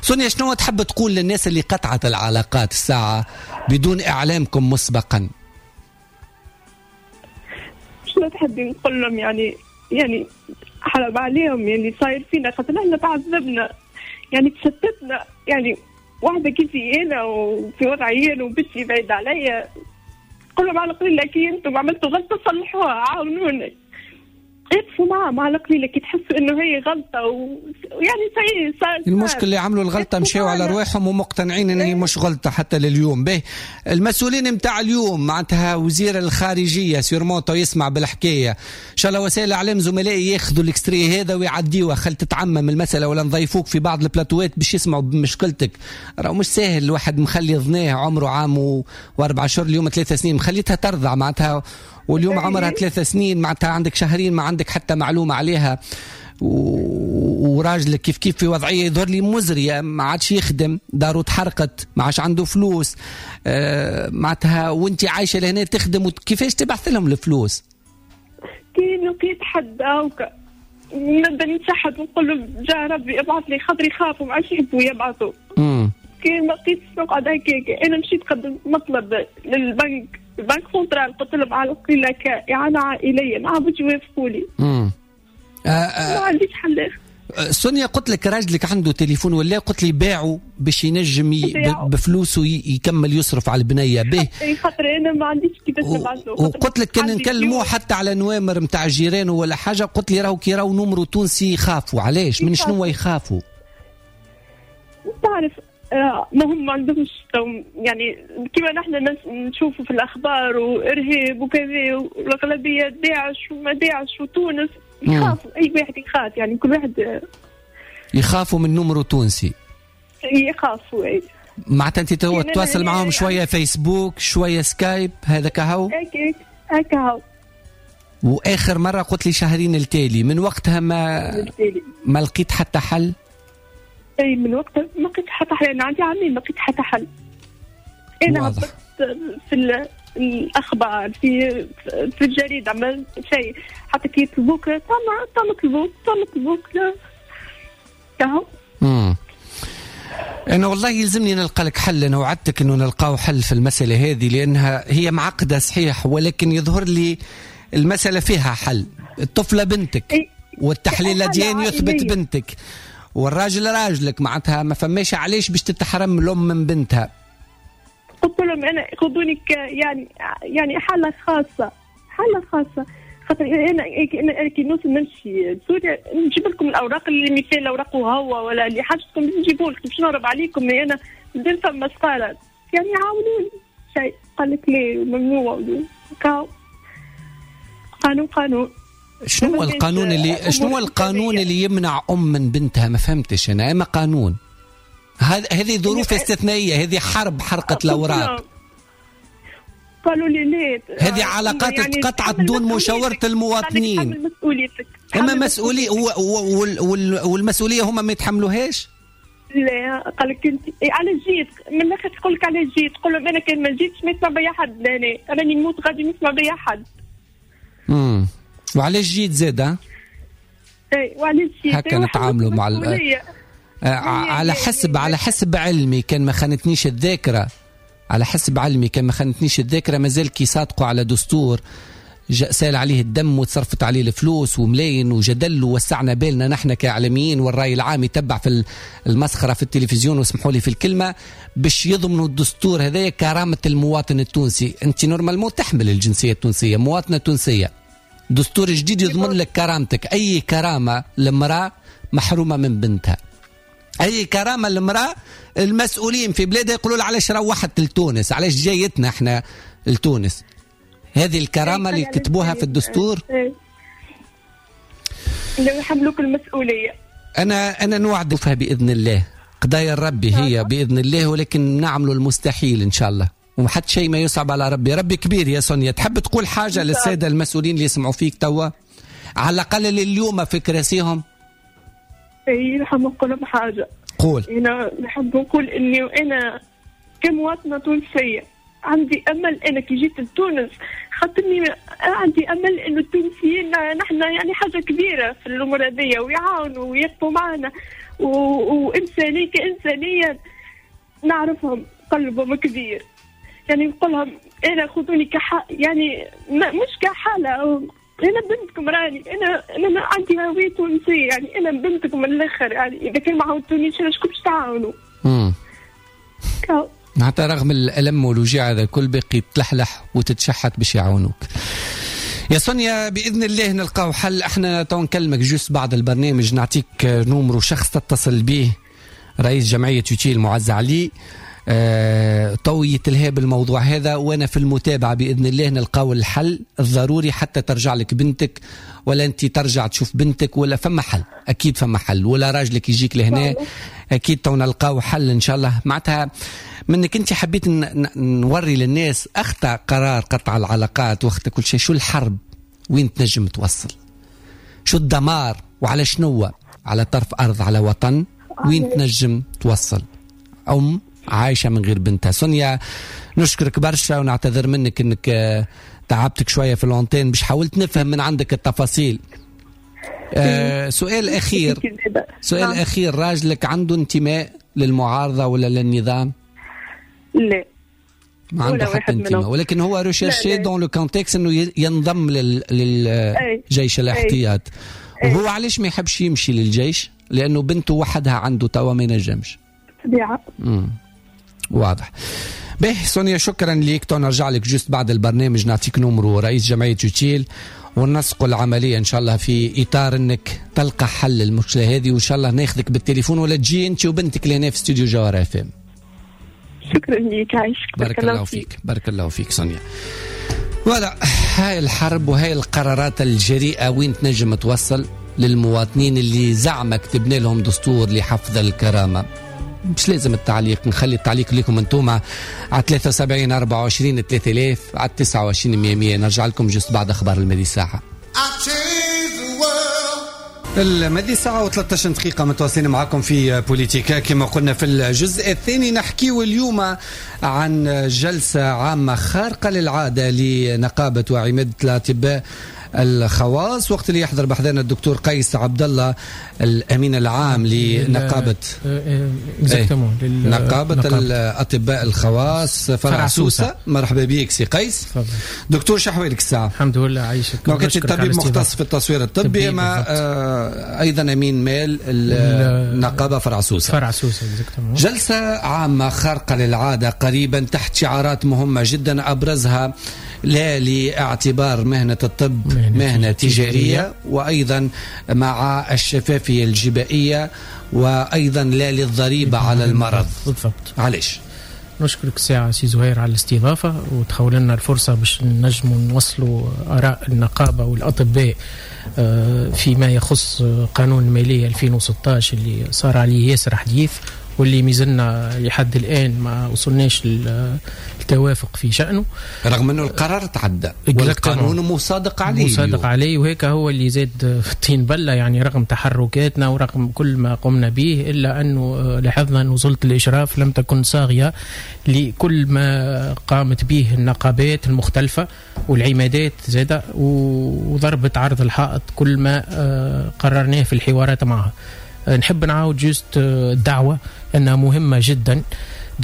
سونيا شنو تحب تقول للناس اللي قطعت العلاقات الساعة بدون اعلامكم مسبقا؟ شنو تحب نقول لهم؟ يعني يعني حرام عليهم يعني صاير فينا، خاطر احنا تعذبنا يعني تشتتنا، يعني واحدة كيفي انا وفي وضعي انا وبنتي بعيد عليا. قول لهم على القليلة كي انتم عملتوا غلطه صلحوها، عاونوني، اقفوا معهم على القليلة كي تحسوا انه هي غلطه ويعني و... صار المشكل اللي عملوا الغلطة مشاو على رواحهم ومقتنعين ان هي مش غلطه حتى لليوم. به المسؤولين نتاع اليوم معناتها وزير الخارجية sûrement يسمع بالحكاية، ان شاء الله وسائل الاعلام زملائي ياخذوا ال extrait هذا ويعديوه، خل تتعمم المسالة ولا نضيفوك في بعض البلاتوات باش يسمعوا بمشكلتك. راه مش ساهل الواحد مخلي ظناه عمره عام و... واربع شهور، اليوم ثلاث سنين مخليتها ترضع معناتها، واليوم عمرها ثلاث سنين معناتها عندك شهرين ما عندك حتى معلومة عليها. وراجلك كيف كيف في وضعية يظهر لي مزرية، ما عادش يخدم، داره تحرقت، ما عادش عنده فلوس آه معناتها، وانت عايشة لهنا تخدم، كيفاش تبعث لهم الفلوس؟ كي لقيت حد هاكا نبدا نتشحت ونقول له جا ربي ابعث لي، خاطر يخافوا ما عادش يحبوا يبعثوا. كي ما لقيتش نقعد هكاك. انا مشيت قدمت مطلب للبنك، ال banque centrale، قلت لهم على القليلة كإعانة عائلية ما عرفتش يوافقوا لي. امم آه ما عنديش حل. سونيا قلت لك راجلك عنده تليفون ولا؟ قلت لي باعه باش ينجم ي... بفلوسه يكمل يصرف على البنية به. اي خاطر انا ما عنديش كيفاش نبعث له. وقلت لك كان نكلموه حتى على نوامر نتاع جيرانه ولا حاجة، قلت لي راهو كي راهو نمرو تونسي يخافوا. علاش؟ من شنو يخافوا؟ تعرف آه ما هم ما عندهمش يعني كما نحن نشوفوا في الاخبار وارهاب وكذا والاغلبيه داعش وما داعش وتونس يخافوا، اي واحد يخاف يعني كل واحد يخافوا من نمرو تونسي، يخافوا. اي معناتها انت تو تواصل معاهم شوية فيسبوك شوية سكايب هذا كهو؟ هكاك هكا. واخر مرة قلت لي شهرين التالي، من وقتها ما ما لقيت حتى حل؟ اي من وقتها ما لقيت حتى حل، انا عندي عامين ما لقيت حتى حل. انا هبطت في الاخبار في في الجريدة عملت شيء، حتى كي يطلبوك تم طلبوك تم طلبوك لا كهو. امم انا والله يلزمني نلقى لك حل، انا وعدتك انه نلقاو حل في المسالة هذه لانها هي معقدة صحيح، ولكن يظهر لي المسالة فيها حل. الطفلة بنتك والتحليل الديني يثبت بنتك، والراجل راجلك، معناتها ما فماش علاش باش تتحرم الام من بنتها. قلت لهم انا خذوني يعني يعني حاله خاصة، حاله خاصة، خاطر انا انا كي نوصل نمشي لسوريا نجيب لكم الاوراق اللي مثال اوراق وهو ولا اللي حاجتكم نجيبوا لكم باش نهرب عليكم، انا ندير فما سفارة. يعني عاونوني شيء. قال لك ليه ممنوع قانون قانون. شنو هو القانون اللي شنو هو القانون اللي يمنع ام من بنتها؟ ما فهمتش انا. اما قانون هذه ظروف استثنائية، هذه حرب حرقت الاوراق. قالوا لي ليه هذه علاقات يعني اتقطعت دون مشاوره المواطنين. مسؤوليتك. اما مسؤولية والمسؤولية هما ما يتحملوهاش. لا قال لك انت على جيت من الاخر تقول لك على جيت، تقول لهم انا كان ما جيتش ما يسمع بيا حد، انا راني نموت غادي ما يسمع بيا حد. امم وعلاش جيت زاده؟ اي وعلاش جيت؟ هكا نتعاملوا مع ال... على حسب على حسب علمي كان ما خانتنيش الذاكرة، على حسب علمي كان ما خانتنيش الذاكرة مازال كي صادقوا على دستور سال عليه الدم وتصرفت عليه الفلوس وملاين وجدل ووسعنا بالنا نحن كإعلاميين والرأي العام يتبع في المسخرة في التلفزيون واسمحوا لي في الكلمة باش يضمنوا الدستور هذا كرامة المواطن التونسي. أنت normalement تحمل الجنسية التونسية، مواطنة تونسية، دستور جديد يضمن لك كرامتك. أي كرامة لمرأة محرومة من بنتها؟ أي كرامة لمرأة المسؤولين في بلادها يقولوا علاش روحت لتونس، علاش جايتنا احنا لتونس؟ هذه الكرامة اللي كتبوها في الدستور. لو يحملوك المسؤولية. أنا أنا نوعد فيها بإذن الله، قضايا الربي هي بإذن الله، ولكن نعمل المستحيل إن شاء الله، وحتى شيء ما يصعب على ربي. ربي كبير يا سونيا. تحب تقول حاجة للسادة المسؤولين اللي يسمعوا فيك توا، على الأقل اليوم في كراسيهم؟ إيه نحب نقول لهم حاجة. قول. أنا نحب نقول إني أنا كمواطنة تونسية عندي امل. انا كي جيت لتونس خاطرني عندي امل انه التونسيين نحن يعني حاجة كبيرة في الامور هذيا ويعاونوا ويقفوا معنا وانسانيه كانسانيه نعرفهم قلبهم كبير. يعني نقول لهم انا خذوني كح يعني مش كحاله، انا بنتكم راني، انا انا عندي هوية تونسية، يعني انا بنتكم من الاخر. يعني اذا كان ما عاونتونيش شكون باش تعاونوا؟ امم حتى رغم الألم والوجع هذا الكل باقي تلحلح وتتشحت باش يعاونوك يا سونيا. بإذن الله نلقاو حل. احنا تو نكلمك juste بعد البرنامج، نعطيك numéro شخص تتصل به، رئيس جمعية يوتيل معز علي، اه تو يتلهى بالموضوع هذا، وانا في المتابعة بإذن الله نلقاو الحل الضروري حتى ترجع لك بنتك، ولا انت ترجع تشوف بنتك، ولا فما حل، اكيد فما حل، ولا راجلك يجيك لهنا، اكيد تو نلقاو حل ان شاء الله. معناتها منك انت حبيت نوري للناس اخطا قرار قطع العلاقات واخطا كل شيء، شو الحرب وين تنجم توصل، شو الدمار وعلى شنو، على طرف ارض، على وطن وين تنجم توصل. ام عايشه من غير بنتها. سونيا نشكرك برشا ونعتذر منك انك تعبتك شوية في l'antenne باش حاولت نفهم من عندك التفاصيل. آه سؤال اخير، سؤال اخير، راجلك عنده انتماء للمعارضه ولا للنظام؟ لا ما عنده حتى انتماء، ولكن هو recherché dans le contexte انه ينضم للجيش الاحتياط. وهو علاش ما يحبش يمشي للجيش؟ لانه بنته وحدها عنده توا ما ينجمش. طبيعة. امم واضح. به سونيا شكرا ليك، تو نرجع لك juste بعد البرنامج نعطيك numéro رئيس جمعية يوتيل ونسق العملية ان شاء الله في اطار انك تلقى حل المشكلة هذه، وان شاء الله ناخذك بالتليفون ولا تجي انت وبنتك لهنا في استوديو جوهرة اف ام. شكرا لك، عايشك. بارك الله فيك. بارك الله فيك سونيا. voilà هاي الحرب وهاي القرارات الجريئة وين تنجم توصل للمواطنين اللي زعما كتبنا لهم دستور لحفظ الكرامة. مش لازم التعليق، نخلي التعليق لكم انتوما على ثلاثة وسبعين أربعة وعشرين ثلاثة آلاف على تسعة وعشرين مية مية. نرجع لكم juste بعد اخبار المدي ساعة. المدي ساعة وثلاثة عشر دقيقة متواصلين معكم في بوليتيكا. كما قلنا في الجزء الثاني نحكي اليوم عن جلسة عامة خارقة للعادة لنقابة وعمادة الأطباء الخواص، وقت اللي يحضر بحذانا الدكتور قيس عبد الله الأمين العام لنقابة نقابة الأطباء الخواص فرع سوسة. مرحبا بك سي قيس. فضل. دكتور شحوالك الساعة؟ الحمد لله عايشك. كنت طبيب مختص في التصوير الطبي، ما آه أيضا أمين مال النقابة فرع سوسة. فرع سوسة. جلسة عامة خارقة للعادة قريبا تحت شعارات مهمة جدا، أبرزها لا لاعتبار مهنة الطب مهنة, مهنة تجارية، وأيضا مع الشفافية الجبائية، وأيضا لا للضريبة على المرض. بالضبط. علاش؟ نشكرك ساعة سي زهير على الاستضافة وتخول لنا الفرصة باش نجموا نوصلوا آراء النقابة والأطباء فيما يخص قانون المالية ألفين وستة عشر اللي صار عليه ياسر حديث واللي مازلنا لحد الآن ما وصلناش للتوافق في شأنه، رغم أنه القرار تعدى والقانون مصادق عليه مصادق عليه، وهيك هو اللي زاد في الطين بلة. يعني رغم تحركاتنا ورغم كل ما قمنا به إلا أنه لاحظنا أن سلطة الإشراف لم تكن صاغية لكل ما قامت به النقابات المختلفة والعمادات زادة، وضربت عرض الحائط كل ما قررناه في الحوارات معها. نحب نعاود juste الدعوة أنها مهمة جدا.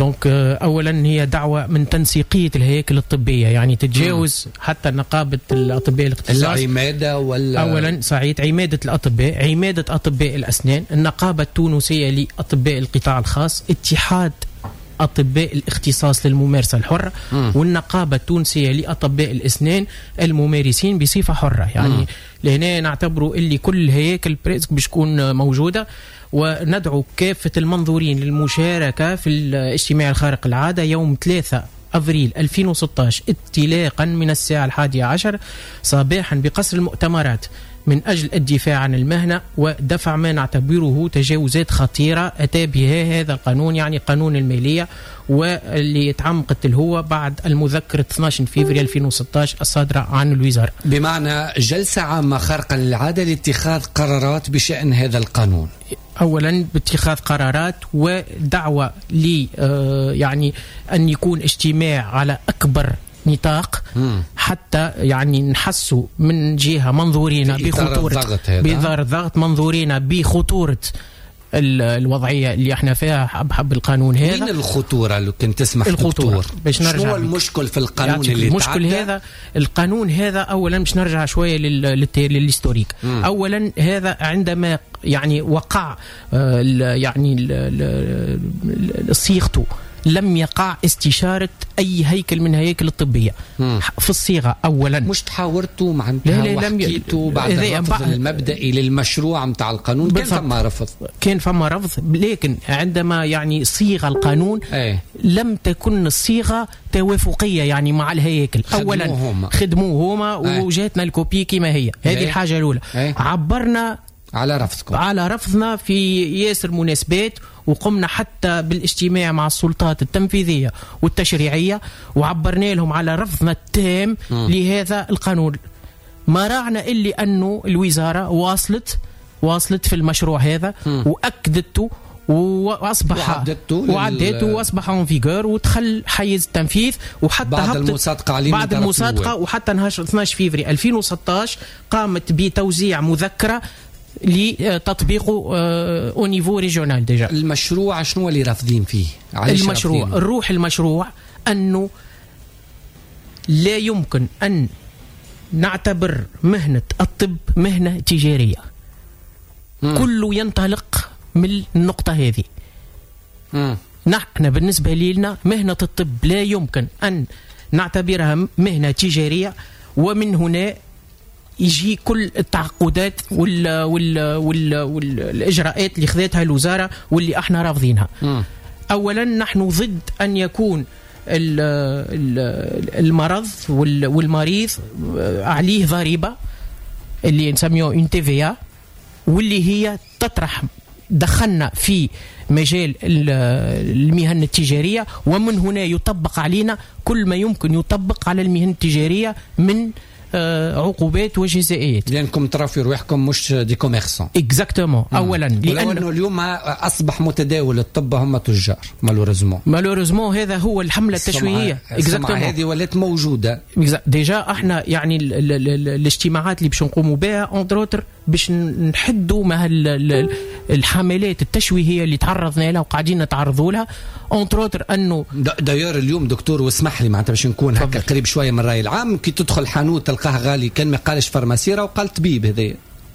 donc أولا هي دعوة من تنسيقية الهياكل الطبية، يعني تتجاوز حتى نقابة الأطباء الاختصاص، العمادة ولا أولا صحيح عمادة الأطباء، عمادة أطباء الأسنان، النقابة التونسية لأطباء القطاع الخاص، اتحاد أطباء الاختصاص للممارسة الحرة، مم. والنقابة التونسية لأطباء الأسنان الممارسين بصفة حرة. يعني مم. لهنا نعتبروا اللي كل هياكل presque باش تكون موجودة، وندعو كافة المنظورين للمشاركة في الاجتماع الخارق العادة يوم ثلاثة أفريل ألفين وستة عشر انطلاقا من الساعة الحادية عشر صباحا بقصر المؤتمرات من أجل الدفاع عن المهنة ودفع ما نعتبره تجاوزات خطيرة أتى بها هذا القانون، يعني قانون المالية، واللي تعمقت الهوة بعد المذكرة اثنا عشر فبراير ألفين وستة عشر الصادرة عن الوزارة. بمعنى جلسة عامة خارقة للعادة لاتخاذ قرارات بشأن هذا القانون. أولا باتخاذ قرارات ودعوة ل يعني أن يكون اجتماع على أكبر نطاق مم. حتى يعني نحسوا من جهة منظورين بخطورة بإطار الضغط، منظورين بخطورة الوضعية اللي احنا فيها بحب القانون هذا. وين الخطورة لو كنت تسمح دكتور؟ باش نرجع شنو المشكل في القانون اللي المشكل هذا القانون هذا أولا باش نرجع شوية لل historique. أولا هذا عندما يعني وقع يعني صيغته لم يقع استشارة أي هيكل من هياكل الطبية مم. في الصيغة أولا. مش تحاورتوا معناتها وحكيتوا بعد الرفض المبدئي للمشروع متاع القانون؟ كان فما رفض، كان فما رفض، لكن عندما يعني صيغ القانون ايه. لم تكن الصيغة توافقية يعني مع الهياكل. أولا خدموه هما ايه. وجاتنا ال copie كما هي. هذه ايه. الحاجة الأولى. ايه. عبرنا على رفضكم، على رفضنا في ياسر مناسبات، وقمنا حتى بالاجتماع مع السلطات التنفيذية والتشريعية وعبرنا لهم على رفضنا التام م. لهذا القانون. ما راعنا إلا أنه الوزارة واصلت واصلت في المشروع هذا م. وأكدته واصبح وعدته واصبح en vigueur ودخل حيز التنفيذ، وحتى بعد المصادقة عليه بعد المصادقة، وحتى نهار اثنا عشر فبراير ألفين وستة عشر قامت بتوزيع مذكره لتطبيقه au niveau régional déjà. المشروع شنو اللي رافضين فيه؟ المشروع رافضين؟ الروح المشروع انه لا يمكن ان نعتبر مهنة الطب مهنة تجارية. مم. كله ينطلق من النقطة هذه. مم. نحن بالنسبة لنا مهنة الطب لا يمكن ان نعتبرها مهنة تجارية، ومن هنا يجي كل التعقدات وال وال وال والاجراءات اللي خذتها الوزارة واللي احنا رافضينها. م. اولا نحن ضد ان يكون المرض والمريض عليه ضريبة اللي نسميه une TVA، واللي هي تطرح دخلنا في مجال المهن التجارية، ومن هنا يطبق علينا كل ما يمكن يطبق على المهن التجارية من عقوبات وجزائيات. لانكم ترى في رواحكم مش des commerçants. exactement. اولا لانه اليوم اصبح متداول الطب هم تجار malheureusement. malheureusement هذا هو الحملة التشويهيه. exactement هذه ولات موجودة déjà. احنا يعني ال ال ال الاجتماعات اللي باش نقوموا بها entre autres باش نحدوا مع الحملات التشويهيه اللي تعرضنا لها وقاعدين نتعرضوا لها entre autres. انه d'ailleurs اليوم دكتور واسمح لي معناتها باش نكون هكا قريب شوية من الراي العام، كي تدخل حانوت تلقاه غالي كان ما قالش pharmacie وقال طبيب، هذا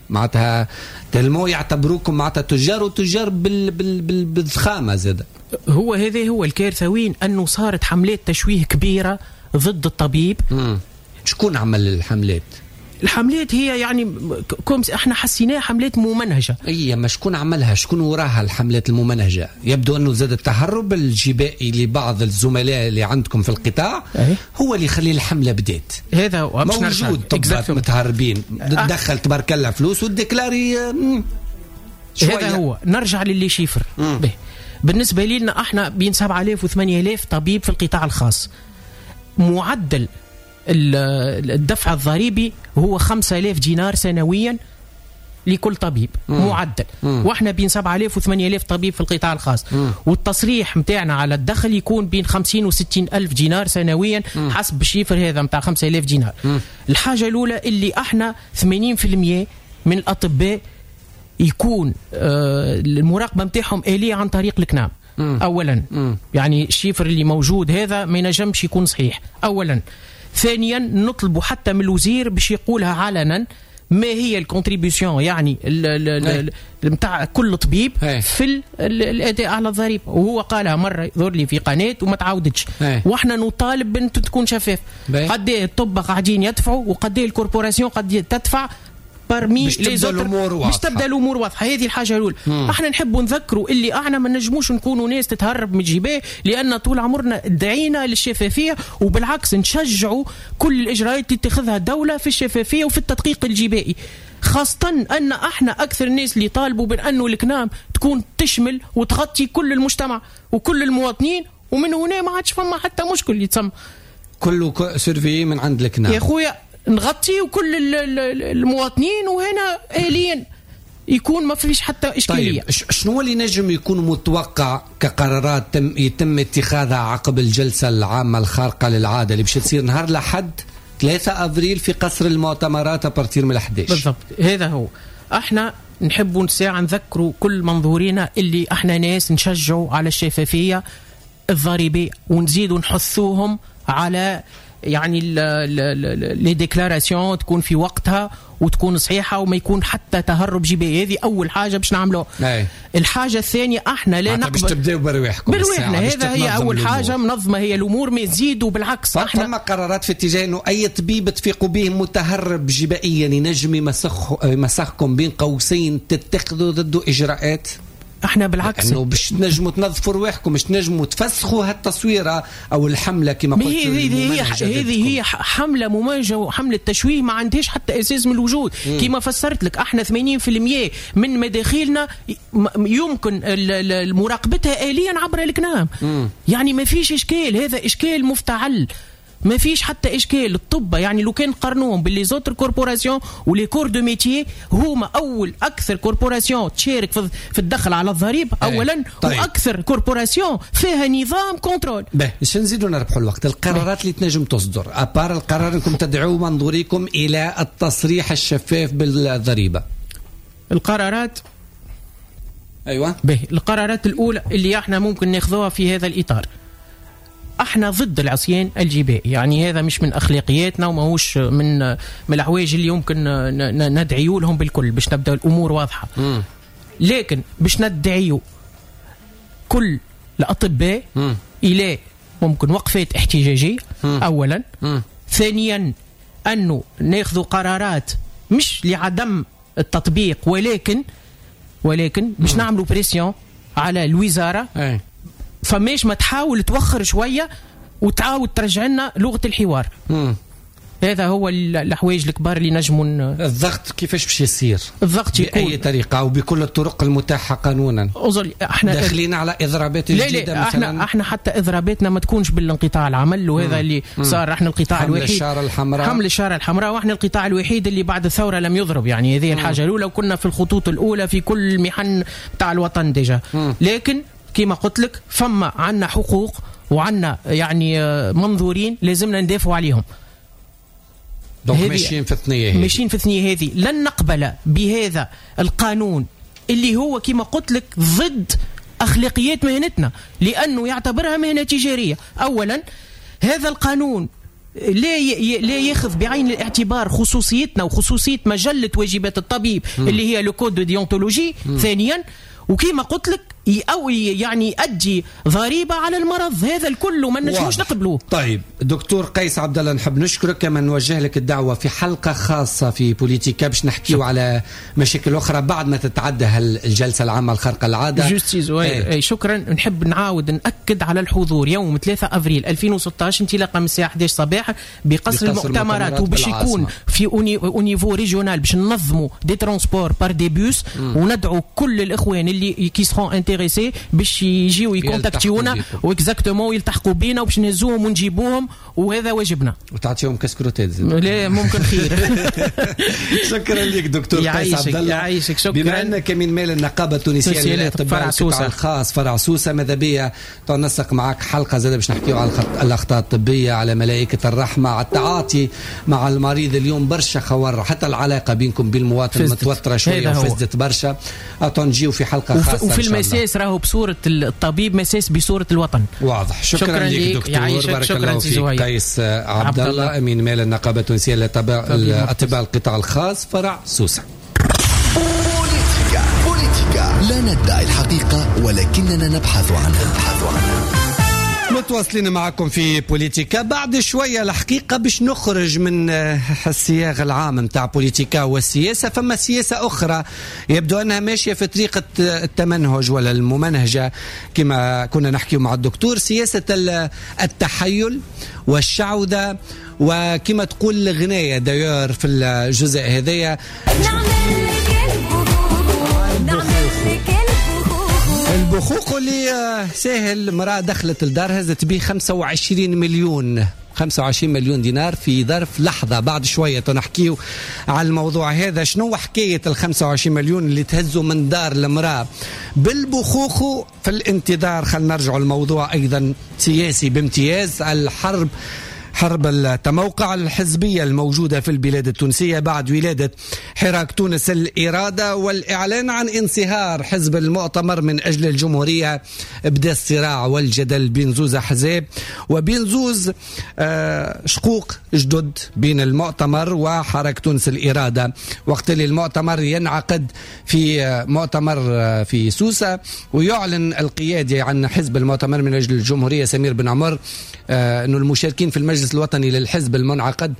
معناتها tellement يعتبروكم معناتها تجار وتجار بال بال بال بالضخامه زاد. هو هذا هو الكارثة وين انه صارت حملات تشويه كبيرة ضد الطبيب. مم. شكون عمل الحملات؟ الحملات هي يعني comme احنا حسيناها حملات ممنهجه. اي ما شكون عملها؟ شكون وراها الحملات الممنهجه؟ يبدو انه زاد التهرب الجبائي لبعض الزملاء اللي عندكم في القطاع أي؟ هو اللي يخلي الحملة بدات. هذا هو موجود طبات متهربين، تدخل تبارك الله فلوس وت déclarer هذا هو. نرجع ل les chiffres. به. بالنسبة لنا احنا بين سبعة آلاف و ثمانية آلاف طبيب في القطاع الخاص، معدل الدفع الضريبي هو خمسة آلاف دينار سنويا لكل طبيب. مم. معدل. مم. واحنا بين سبعة آلاف و ثمانية آلاف طبيب في القطاع الخاص. مم. والتصريح متاعنا على الدخل يكون بين خمسين و ستين ألف دينار سنويا. مم. حسب ال chiffre هذا متاع خمسة آلاف دينار. مم. الحاجة الأولى اللي احنا ثمانين بالمئة من الأطباء يكون آه المراقبة متاعهم آلية عن طريق الكنام. مم. أولا. مم. يعني ال chiffre اللي موجود هذا ما ينجمش يكون صحيح أولا. ثانيا نطلب حتى من الوزير باش يقولها علنا ما هي ال contribution، يعني نتاع كل طبيب في الاداء على الضريبة، وهو قالها مرة يظهر لي في قناة وما تعاودتش. واحنا نطالب بان تكون شفاف، قد ايه الطب قاعدين يدفعوا وقد ايه ال corporation قد تدفع parmi les autres، باش تبدا الامور واضحة. هذه الحاجة الاولى. احنا نحبوا نذكروا اللي احنا ما نجموش نكونوا ناس تتهرب من الجباه، لان طول عمرنا دعينا للشفافيه، وبالعكس نشجعوا كل الاجراءات اللي تتخذها الدولة في الشفافية وفي التدقيق الجبائي، خاصة ان احنا اكثر الناس اللي طالبوا بانه الكنام تكون تشمل وتغطي كل المجتمع وكل المواطنين، ومن هنا ما عادش فما حتى مشكل اللي تسمى كله surveillé من عند الكنام يا خويا، نغطي كل المواطنين، وهنا آليا يكون ما فيش حتى إشكالية. طيب شنو اللي نجم يكون متوقع كقرارات تم يتم اتخاذها عقب الجلسة العامة الخارقة للعادة اللي باش تصير نهار لحد ثلاثة أفريل في قصر المؤتمرات à partir من الأحد عشر؟ بالضبط هذا هو. احنا نحبوا ساعة نذكروا كل منظورينا اللي احنا ناس نشجعوا على الشفافية الضريبية، ونزيدوا نحثوهم على يعني les déclarations تكون في وقتها وتكون صحيحه وما يكون حتى تهرب جبائي. هذه اول حاجة باش نعملوها. الحاجة الثانية احنا لا نقبل باش تبداو برواحكم، برواحنا هذا هي اول حاجة منظمة هي الامور، ما يزيدوا بالعكس. احنا فما قرارات في اتجاه انه اي طبيب تفيقوا به متهرب جبائيا ينجم يمسخ يمسخكم بين قوسين تتخذوا ضده اجراءات. احنا بالعكس انه باش تنجموا تنظفوا رواحكم، باش تنجموا تفسخوا هالتصويره او الحملة كما قلت. هذه هي هذه هي حمله ممنهجه وحمله تشويه ما عندهاش حتى اساس من الوجود. كما فسرت لك احنا ثمانين بالمئة من مداخيلنا يمكن مراقبتها آليا عبر الكنام. يعني ما فيش اشكال، هذا اشكال مفتعل، ما فيش حتى اشكال. الطب يعني لو كان قارنوهم ب les autres corporations و les corps de métier، هما اول اكثر corporation تشارك في الدخل على الضريبة اولا. طيب. واكثر corporation فيها نظام contrôle. باهي باش نزيدوا نربحوا الوقت، القرارات اللي تنجم تصدر à part القرار انكم تدعوا منظوريكم الى التصريح الشفاف بالضريبه، القرارات ايوه باهي القرارات الاولى اللي احنا ممكن ناخذوها في هذا الاطار، احنا ضد العصيان الجبائي، يعني هذا مش من اخلاقياتنا وماهوش من من الحوايج اللي يمكن ندعيو لهم بالكل باش نبدا الامور واضحة. م. لكن باش ندعيو كل الاطباء م. الى ممكن وقفات احتجاجية. م. اولا. م. ثانيا انه ناخذ قرارات مش لعدم التطبيق، ولكن ولكن باش نعملوا pression على الوزارة. أي. فماش ما تحاول توخر شوية وتعاود ترجع لنا لغة الحوار. مم. هذا هو الحوايج الكبار اللي نجموا. الضغط كيفاش باش يصير؟ الضغط يكون باي طريقه وبكل الطرق المتاحة قانونا. احنا داخلين على اضرابات جديدة لا لا مثلا. احنا احنا حتى اضراباتنا ما تكونش بالانقطاع العمل، وهذا مم. اللي مم. صار. احنا القطاع حمل الوحيد الشارة الحمراء، حمل الشارة الحمراء، واحنا القطاع الوحيد اللي بعد الثورة لم يضرب، يعني هذه الحاجة الاولى، وكنا في الخطوط الاولى في كل المحن تاع الوطن déjà. مم. لكن كما قلت لك فما عندنا حقوق وعندنا يعني منظورين لازمنا ندافعوا عليهم. donc ماشيين في الثنية هذه، ماشيين في الثنية هذه. لن نقبل بهذا القانون اللي هو كما قلت لك ضد اخلاقيات مهنتنا، لانه يعتبرها مهنة تجارية. اولا هذا القانون لا لا ياخذ بعين الاعتبار خصوصيتنا وخصوصيه مجلة واجبات الطبيب. م. اللي هي le code de déontologie. ثانيا وكما قلت لك او يعني يؤدي ضريبة على المرض. هذا الكل ما نجموش نقبلوه. طيب دكتور قيس عبد الله، نحب نشكرك، كما نوجه لك الدعوة في حلقة خاصة في بوليتيكا باش نحكيو على مشاكل اخرى بعد ما تتعدى الجلسة العامة الخارقة العادة. juste زهير، اي شكرا. نحب نعاود ناكد على الحضور يوم ثلاثة أفريل ألفين وستة عشر انطلاقا من الساعة إحدى عشر صباحا بقصر المؤتمرات، وباش يكون في au niveau régional باش ننظموا des transports par des bus، وندعو كل الاخوان اللي qui seront intéressés باش يجيو يكونتاكتيونا و exactement ويلتحقوا بينا وباش نهزوهم ونجيبوهم، وهذا واجبنا. وتعطيهم كسكروتات لا ممكن خير. شكرا لك دكتور قيس عبد الله. يعيشك، شكرا. بما انك من مال النقابة التونسية للاطباء القطاع الخاص فرع سوسة، ماذا بيا تنسق معك حلقة زاده باش نحكيو على الاخطاء الطبية، على ملائكة الرحمة، على التعاطي مع المريض. اليوم برشا خور، حتى العلاقة بينكم بالمواطن متوترة شوية وفزدت برشا. نجيو في حلقة خاصة. وفي المساس راهو بصورة الطبيب، مساس بصورة الوطن. واضح. شكرا, شكرا لك دكتور، بارك الله فيك. قيس عبد الله، امين مال النقابة التونسية للاطباء القطاع الخاص فرع سوسة. بوليتيكا بوليتيكا، لا ندعي الحقيقة ولكننا نبحث عنها. متواصلين معكم في بوليتيكا. بعد شوية الحقيقة باش نخرج من الصياغ العام متاع بوليتيكا والسياسة، فما سياسة أخرى يبدو أنها ماشية في طريقة التمنهج ولا الممنهجة كما كنا نحكي مع الدكتور، سياسة التحيل والشعوذة وكما تقول الغناية دايور في الجزء هذايا. البخوخ اللي ساهل، مرأة دخلت الدار هزت به خمسة وعشرين مليون خمسة وعشرين مليون دينار في ظرف لحظة. بعد شوية نحكيو على الموضوع هذا، شنو حكاية ال خمسة وعشرين مليون اللي تهزوا من دار المرأة بالبخوخ. في الانتظار خلينا نرجع الموضوع أيضا سياسي بامتياز، الحرب، حرب التموقع الحزبية الموجودة في البلاد التونسية بعد ولادة حراك تونس الإرادة والإعلان عن انصهار حزب المؤتمر من أجل الجمهورية. بدأ الصراع والجدل بين زوز أحزاب وبين زوز شقوق جدد بين المؤتمر وحركة تونس الإرادة. وقت اللي المؤتمر ينعقد في مؤتمر في سوسة ويعلن القيادي عن حزب المؤتمر من أجل الجمهورية سمير بن عمر أنه المشاركين في المجلس الوطني للحزب المنعقد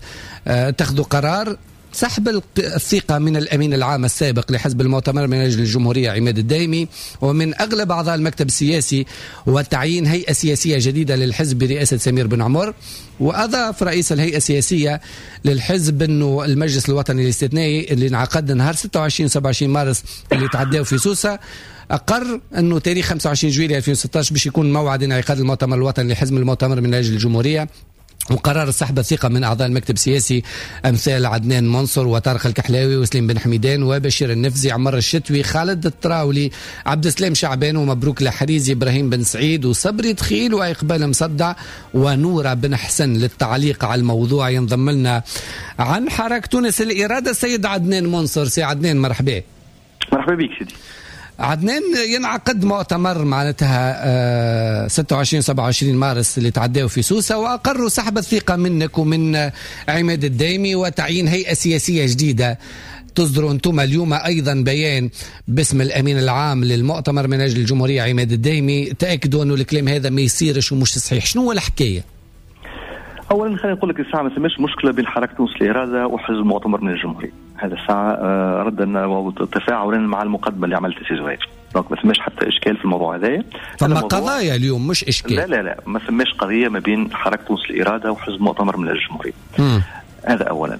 اتخذوا قرار سحب الثقة من الأمين العام السابق لحزب المؤتمر من أجل الجمهورية عماد الدايمي ومن أغلب أعضاء المكتب السياسي، وتعيين هيئة سياسية جديدة للحزب برئاسة سمير بن عمر. وأضاف رئيس الهيئة السياسية للحزب أنه المجلس الوطني الاستثنائي اللي انعقد نهار ستة وعشرين وسبعة وعشرين مارس اللي تعداو في سوسة أقر أنه تاريخ خمسة وعشرين جويلية ألفين وستة عشر باش يكون موعد انعقاد المؤتمر الوطني لحزب المؤتمر من أجل الجمهورية. وقرار سحب الثقة من أعضاء المكتب السياسي أمثال عدنان منصور وطارق الكحلاوي وسليم بن حميدان وبشير النفزي، عمر الشتوي، خالد التراولي، عبد السلام شعبان ومبروك الحريزي، إبراهيم بن سعيد وصبري دخيل وإقبال مصدع ونورة بن حسن. للتعليق على الموضوع ينضم لنا عن حركة تونس الإرادة السيد عدنان منصور. سي عدنان مرحبا. مرحبا بك سيدي عدنان. ينعقد مؤتمر معناتها ستة وعشرين سبعة وعشرين مارس اللي تعداو في سوسة، وأقروا سحب الثقة منك ومن عماد الدايمي وتعيين هيئة سياسية جديدة. تصدروا أنتم اليوم أيضا بيان باسم الأمين العام للمؤتمر من أجل الجمهورية عماد الدايمي، تأكدوا أنه الكلام هذا ما يصيرش ومش صحيح. شنو هو الحكاية؟ أولا خلينا نقول لك الساعة ما سماش مشكلة بين حركة تونس الإرادة وحزب المؤتمر من الجمهورية. هذا الساعة ردا وتفاعلا مع المقدمة اللي عملتها سي زهير، donc ما ثماش حتى إشكال في الموضوع هذايا. فما قضايا اليوم مش إشكال. لا لا لا، ما ثماش قضية ما بين حركة تونس الإرادة وحزب المؤتمر من الجمهورية. هذا أولا.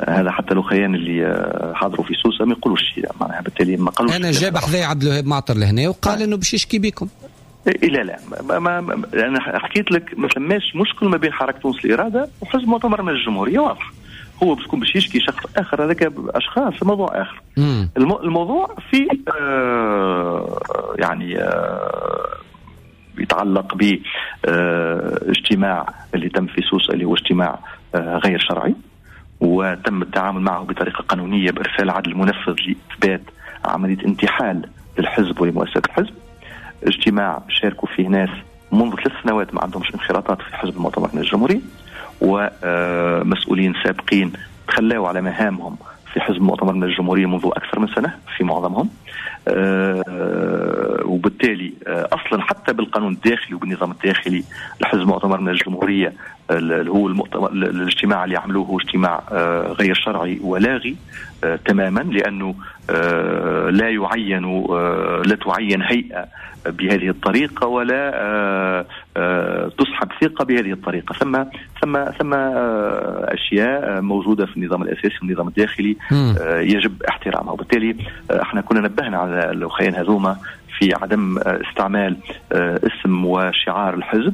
هذا حتى الأخيان اللي حضروا في سوسة ما يقولوش شيء، معناها بالتالي ما قالوش. أنا جاب حذايا عبد الوهاب معطر لهنا وقال إنه باش يشكي بكم. إيه لا لا، ما ما ما أنا حكيت لك ما ثماش مشكل ما بين حركة تونس الإرادة وحزب المؤتمر من الجمهورية، واضح. هو باش يكون باش يشكي شخص آخر، هذاك أشخاص، موضوع آخر. المو الموضوع في آه يعني آه يتعلق باجتماع آه اللي تم في سوسة، اللي هو اجتماع آه غير شرعي، وتم التعامل معه بطريقة قانونية بإرسال عدل منفذ لإثبات عملية انتحال للحزب ولمؤسسة الحزب. اجتماع شاركوا فيه ناس منذ ثلاث سنوات ما عندهمش انخراطات في حزب المؤتمر الجمهوري، ومسؤولين سابقين تخلاوا على مهامهم في حزب المؤتمر الجمهوري منذ أكثر من سنة في معظمهم، وبالتالي اصلا حتى بالقانون الداخلي وبالنظام الداخلي لحزب مؤتمر من الجمهورية، اللي هو المؤتمر الاجتماع اللي عملوه هو اجتماع غير شرعي ولاغي تماما، لانه لا يعين لا تعين هيئة بهذه الطريقة ولا تسحب ثقة بهذه الطريقة. ثم ثم ثم اشياء موجودة في النظام الاساسي والنظام الداخلي يجب احترامها، وبالتالي احنا كنا نبهنا على الاخوين هذوما في عدم استعمال اسم وشعار الحزب،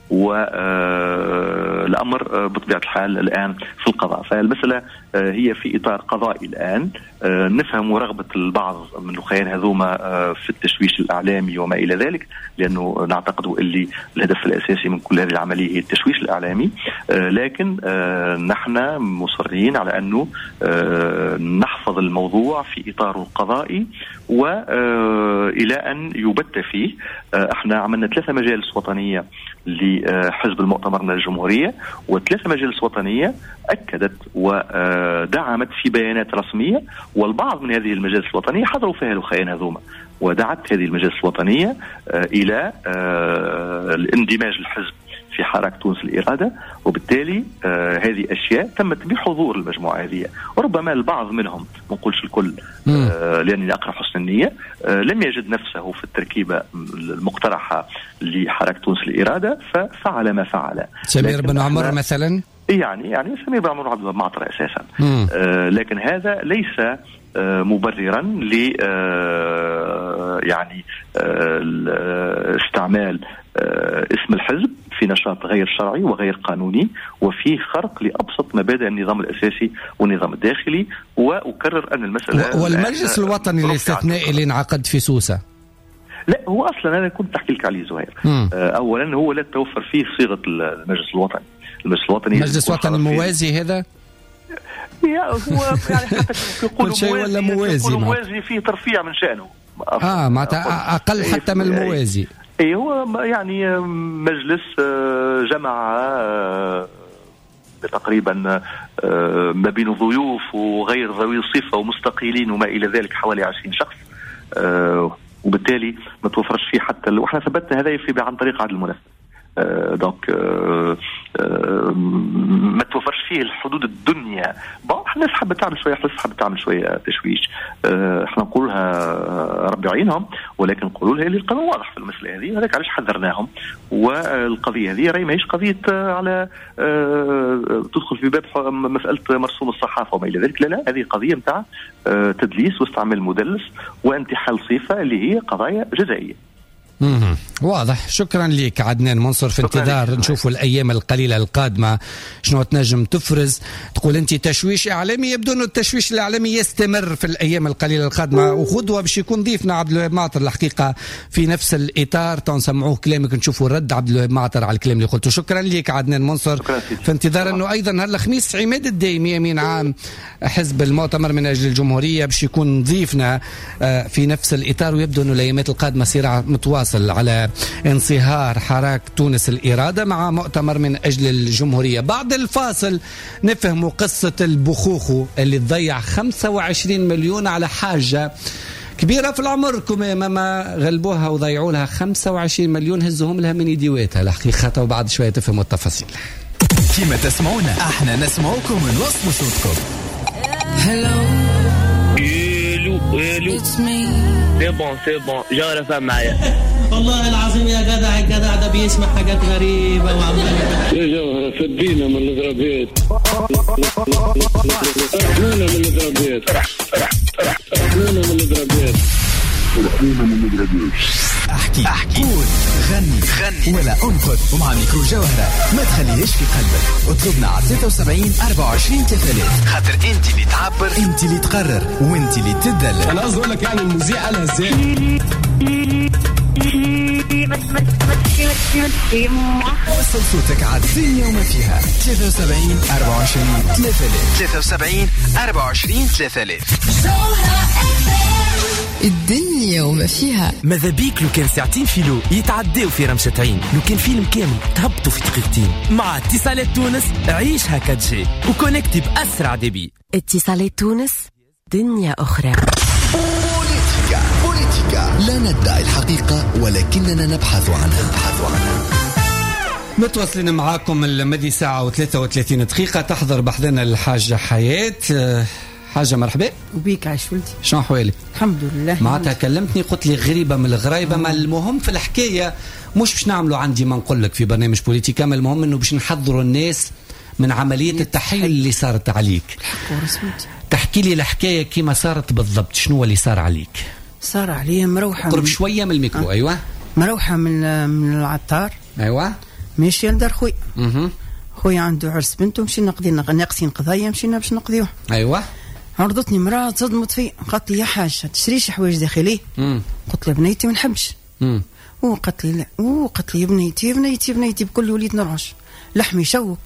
والأمر بطبيعة الحال الآن في القضاء. فالمسألة هي في إطار قضائي الآن. نفهم رغبة البعض من الأخيان هذوما في التشويش الإعلامي وما إلى ذلك، لأنه نعتقد اللي الهدف الأساسي من كل هذه العملية هي التشويش الإعلامي، لكن نحن مصرين على أنه نحفظ الموضوع في إطاره القضائي وإلى أن يبت فيه. احنا عملنا ثلاثة مجالس وطنية لحزب المؤتمر من الجمهورية، وثلاثة مجالس وطنية أكدت ودعمت في بيانات رسمية، والبعض من هذه المجالس الوطنية حضروا فيها الأخيان هذوما، ودعت هذه المجالس الوطنية إلى الاندماج الحزب في حركة تونس الإرادة، وبالتالي آه هذه أشياء تمت بحضور المجموعة هذه. وربما البعض منهم، ما نقولش الكل آه لأنني أقرأ حسن النية، آه لم يجد نفسه في التركيبة المقترحة لحركة تونس الإرادة ففعل ما فعل. سمير بن عمر مثلا، يعني يعني سمير بن عمر عبد المعطر أساسا، آه لكن هذا ليس مبررا ل يعني استعمال اسم الحزب في نشاط غير شرعي وغير قانوني، وفيه خرق لأبسط مبادئ النظام الأساسي والنظام الداخلي. وأكرر أن المسألة والمجلس الوطني الاستثنائي اللي انعقد في سوسة، لا هو أصلا أنا كنت أحكي لك عليه زهير. أولا هو لا تتوفر فيه صيغة المجلس الوطني. المجلس الوطني المجلس الوطني الموازي هذا يا هو يعني حتى يقولوا موازي ولا موازي موازي فيه ترفيع من شأنه. اه معناتها اقل حتى من الموازي. اي هو يعني مجلس جمع تقريبا ما بين ضيوف وغير ذوي الصفة ومستقيلين وما الى ذلك حوالي عشرين شخص، وبالتالي ما توفرش فيه حتى، واحنا ثبتنا هذا في عن طريق عدل المنافسة. donc ما توفرش فيه الحدود الدنيا. bon الناس حابة تعمل شوية حس، حابة تعمل شوية تشويش، احنا نقولها ربي يعينهم، ولكن نقولوا لها اللي القانون واضح في المسالة هذه، هذاك علاش حذرناهم. والقضية هذه راهي ماهيش قضية على تدخل في باب مسالة مرسوم الصحافة وما الى ذلك، لا لا، هذه قضية نتاع تدليس واستعمال مدلس وانتحال صفة اللي هي قضايا جزائيه. مم. واضح. شكرا لك عدنان منصر. في انتظار نشوفوا الأيام القليلة القادمة شنو تنجم تفرز. تقول أنت تشويش إعلامي، يبدو أنه التشويش الإعلامي يستمر في الأيام القليلة القادمة، وغدوة باش يكون ضيفنا عبد الوهاب معطر الحقيقة في نفس الإطار، تنسمعوه كلامك نشوفوا رد عبد الوهاب معطر على الكلام اللي قلته. شكرا لك عدنان منصر. في انتظار أنه أيضا نهار الخميس عماد الدايمي أمين عام حزب المؤتمر من أجل الجمهورية باش يكون ضيفنا في نفس الإطار، ويبدو أنه الأيامات القادمة صراع متواصل على انصهار حراك تونس الإرادة مع مؤتمر من أجل الجمهورية. بعد الفاصل نفهم قصة البخوخو اللي تضيع خمسة وعشرين مليون على حاجة كبيرة في العمر، كما ما غلبوها وضيعوا لها خمسة وعشرين مليون، هزهم لها من يديواتها الحقيقة، وبعد شوية تفهموا التفاصيل. كما تسمعونا احنا نسمعكم ونوصل صوتكم. الو c'est bon c'est bon جوهرة فهم معايا. والله العظيم يا جدع الجدع ده بيسمع حاجات غريبة وعمال يا جوهرة فدينا من الضربات، رحمونا من الضربات، رحمونا من الضربات، رحمونا من الضربات. احكي احكي قول غني غني ولا انقذ، ومع ميكرو جوهرة ما تخليهاش في قلبك. اطلبنا على ثلاثة وسبعين أربعة وعشرين ثلاثة آلاف، خاطر انت اللي تعبر، انت اللي تقرر، وانت اللي تدلل. انا قصدي اقول لك يعني المذيع قالها ازاي. وصل صوتك على الدنيا وما فيها. ثلاثة وسبعين أربعة وعشرين ثلاثة آلاف، ثلاثة وسبعين أربعة وعشرين ثلاثة آلاف. الدنيا وما فيها. ماذا بيك لو كان ساعتين فيلو يتعداو في رمشة عين، لو كان فيلم كامل تهبطوا في دقيقتين. مع اتصالات تونس عيشها quatre G و connecté بأسرع débit. اتصالات تونس دنيا أخرى. بوليتيكا بوليتيكا بوليتيكا، لا ندعي الحقيقة ولكننا نبحث عنها. نبحث عنها. متواصلين معاكم المدي ساعة وثلاثة وثلاثين دقيقة. تحضر بحذنا الحاجة حياة. حاجة مرحبا. وبيك عايش ولدي. شنو أحوالك؟ الحمد لله. معناتها كلمتني قلت لي غريبة من الغرايبة، ما المهم في الحكاية مش باش نعملوا عندي ما نقول لك في برنامج بوليتيكا، ما المهم انه باش نحضروا الناس من عملية التحيل اللي صارت عليك. تحكي لي الحكاية كيما صارت بالضبط، شنو اللي صار عليك؟ صار علي مروحة قرب شوية من الميكرو. أه. أيوة مروحة من من العطار. أيوة ماشية لدار خويا. خويا عنده عرس بنته، مشينا نقضي ناقصين قضية، مشينا باش نقضيوه. أيوة عرضتني مرأة تصدمت في، قالت لي يا حاجة تشريش حوايج داخلية؟ قلت لها بنيتي ما نحبش. وقالت لي لا، وقالت لي بنيتي بنيتي بنيتي بكل وليت نرعش، لحمي شوك،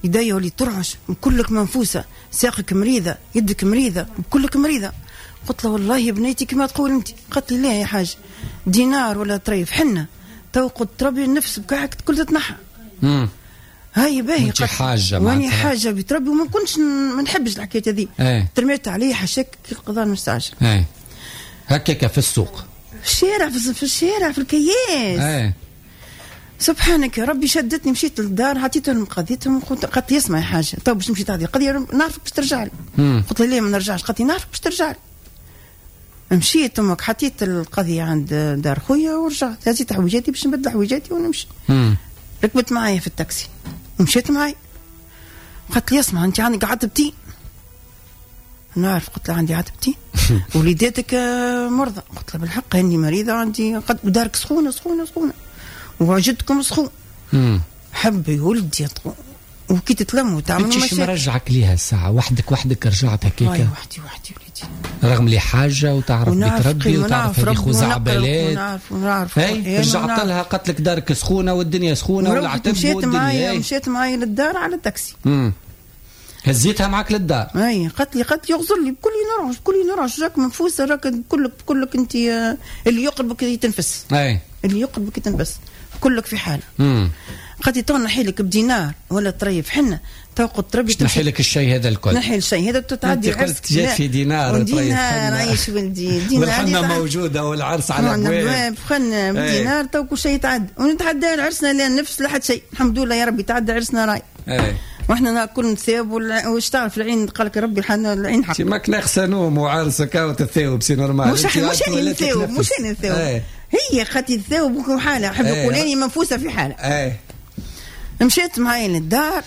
يدي وليت ترعش، كلك منفوسة، ساقك مريضة، يدك مريضة، كلك مريضة. قلت لها والله يا بنيتي كما تقول انت. قالت لي لا يا حاج، دينار ولا طريف حنة تو قلت تربي النفس بكاعك كل تتنحى. هاي باهي انت حاجة واني حاجة بتربي وما كنتش ما نحبش الحكاية هذه. ايه. ترميت عليه حشاك كي القضاء المستعجل. ايه هكاك في السوق، في الشارع، في الشارع، في الكياس. ايه سبحانك يا ربي. شدتني مشيت للدار عطيتهم قضيتهم، قالت لي اسمع يا حاجة تو باش نمشي تعطي القضية نعرفك باش ترجع لي. قلت لها ليه ما نرجعش؟ قالت لي نعرفك باش ترجع لي. مشيت امك حطيت القضية عند دار خويا ورجعت هزيت حويجاتي باش نبدل حويجاتي ونمشي. مم. ركبت معايا في التاكسي ومشيت معايا. قالت لي اسمع انت عندك عتبتي. نعرف. قلت لها عندي عتبتي. وليداتك مرضى. قلت لها بالحق اني مريضه عندي، ودارك سخونة سخونة سخونة وعجبتكم سخون. حبي ولدي وكي تتلموا تعملوا مشاكل. انت شو مرجعك ليها الساعة وحدك وحدك رجعت هكاك؟ وحدي وحدي وليدي، رغم لي حاجة وتعرف بتربي وتعرف هذه خزعبلات ونعرف ونعرف. رجعت لها قالت لك دارك سخونة والدنيا سخونة والعتب مشيت معايا مشيت معايا للدار على التاكسي. امم هزيتها معك للدار. اي قالت لي قالت لي يغزر لي بكل نرعش بكل نرعش، راك منفوسه، راك كلك كلك انت اللي يقربك يتنفس. اي اللي يقربك يتنفس، كلك في حاله. امم قالت لي تو نحي لك بدينار ولا طريف حنة تو قلت ربي نحي لك الشيء هذا الكل، نحي الشيء هذا تتعدي عرس. جات في دينار طريف حنة عايش ولدي دينار والحنه موجودة والعرس على الابواب، خلنا بدينار تو كل شيء يتعدى ونتعدى عرسنا لا نفس لا حد شيء الحمد لله يا ربي تعدى عرسنا راي. ايه واحنا ناكل نثاب واش تعرف العين قال لك ربي العين حق. ماك ناقصه نوم وعرسك وتثاوب c'est normal. مش مش انا نثاوب مش انا نثاوب، هي خاطي تثاوب حاله حب يقول اني منفوسة في حاله. ايه مشيت معايا للدار.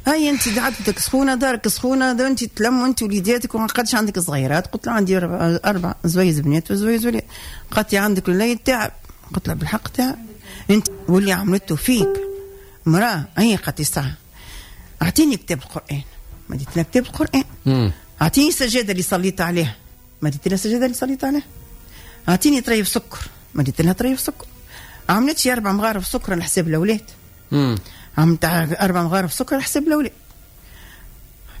هاي انت عادتك سخونة، دارك سخونة، انت تلم وانت وليداتك وما قدش عندك صغيرات. قلت لها عندي اربع اربع زويز بنات وزويز ولاد. قالت لي عندك الوليد تعب. قلت لها بالحق تعب انت واللي عملته فيك مراة. هي قالت لي صح اعطيني كتاب القران. ما ديت لها كتاب القران. اعطيني السجادة اللي صليت عليها. ما ديت لها السجادة اللي صليت عليها. اعطيني طريف سكر. ما ديت لها طريف سكر. عملت شي اربع مغارف سكر على حساب الاولاد. عملت اربع مغارف سكر على حساب الاولاد.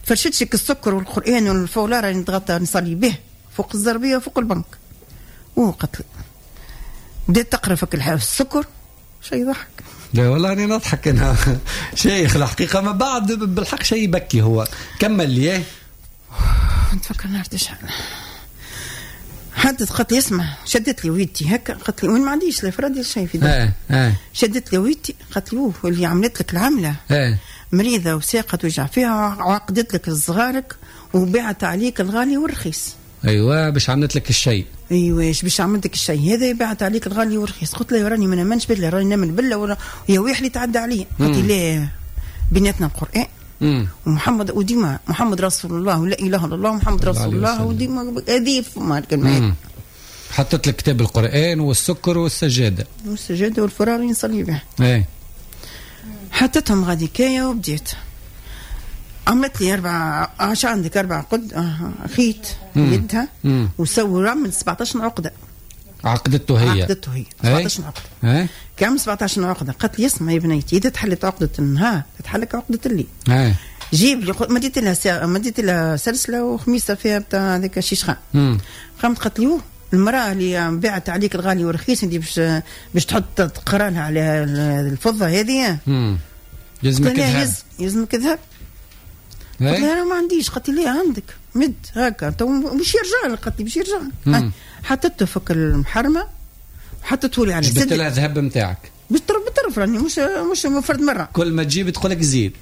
فرشتش السكر والقران والفولاره اللي نتغطى نصلي به فوق الزربيه وفوق البنك. وقتل بديت تقرا فك السكر شيء يضحك. لا والله أنا نضحك أنا شيخ الحقيقة ما بعد بالحق شيء يبكي. هو كمل لي نتفكر نهار شحال حتى قالت لي اسمع، شدت لي ويدتي هكا قالت لي وين ما عنديش لا فرادي شيء في داري. اه شدت لي ويدتي قالت لي اوه اللي عملت لك العملة اه مريضه وساقه توجع فيها وعقدت لك صغارك وباعت عليك الغالي والرخيص. ايوه باش عملت لك الشيء. ايوه باش عملت لك الشيء هذا بعت عليك الغالي والرخيص. قلت له راني ما نامنش بالله، راني نامن بالله ولا يا ويح اللي تعدى علي. قالت لي لا بيناتنا القران مم. ومحمد وديما محمد رسول الله ولا اله الا الله محمد رسول الله وديما هذه فما الكلمة. حطت لك كتاب القران والسكر والسجاده والسجاده والفرار اللي نصلي بها. ايه حطيتهم غادي كايه وبديت عملت لي أربع عش عندك أربع قد آه خيط يدها وسوي عمل سبعطاش عقدة. عقدته هي عقدته هي سبعطاش عقدة. كم سبعطاش عقدة؟ قالت لي اسمع يا بنيتي إذا تحلت عقدة النهار تتحلك عقدة الليل. جيب لي مديت لها سا... مديت لها سلسلة وخميسة فيها بتاع هذاك الشيشخان. قامت قالت لي المرأة اللي باعت عليك الغالي والرخيص انت باش باش تحط تقرا لها على الفضة هذه. يلزمك ذهب. يلزمك ذهب. قلت لها انا ما عنديش. قالت لي عندك مد هكا تو باش يرجع لك. قالت لي باش يرجع لك. حطيته فك المحرمة وحطيته لي على جبت لها الذهب نتاعك بالطرف بالطرف راني مش مش فرد مرة. كل ما تجيب تقول لك زيد.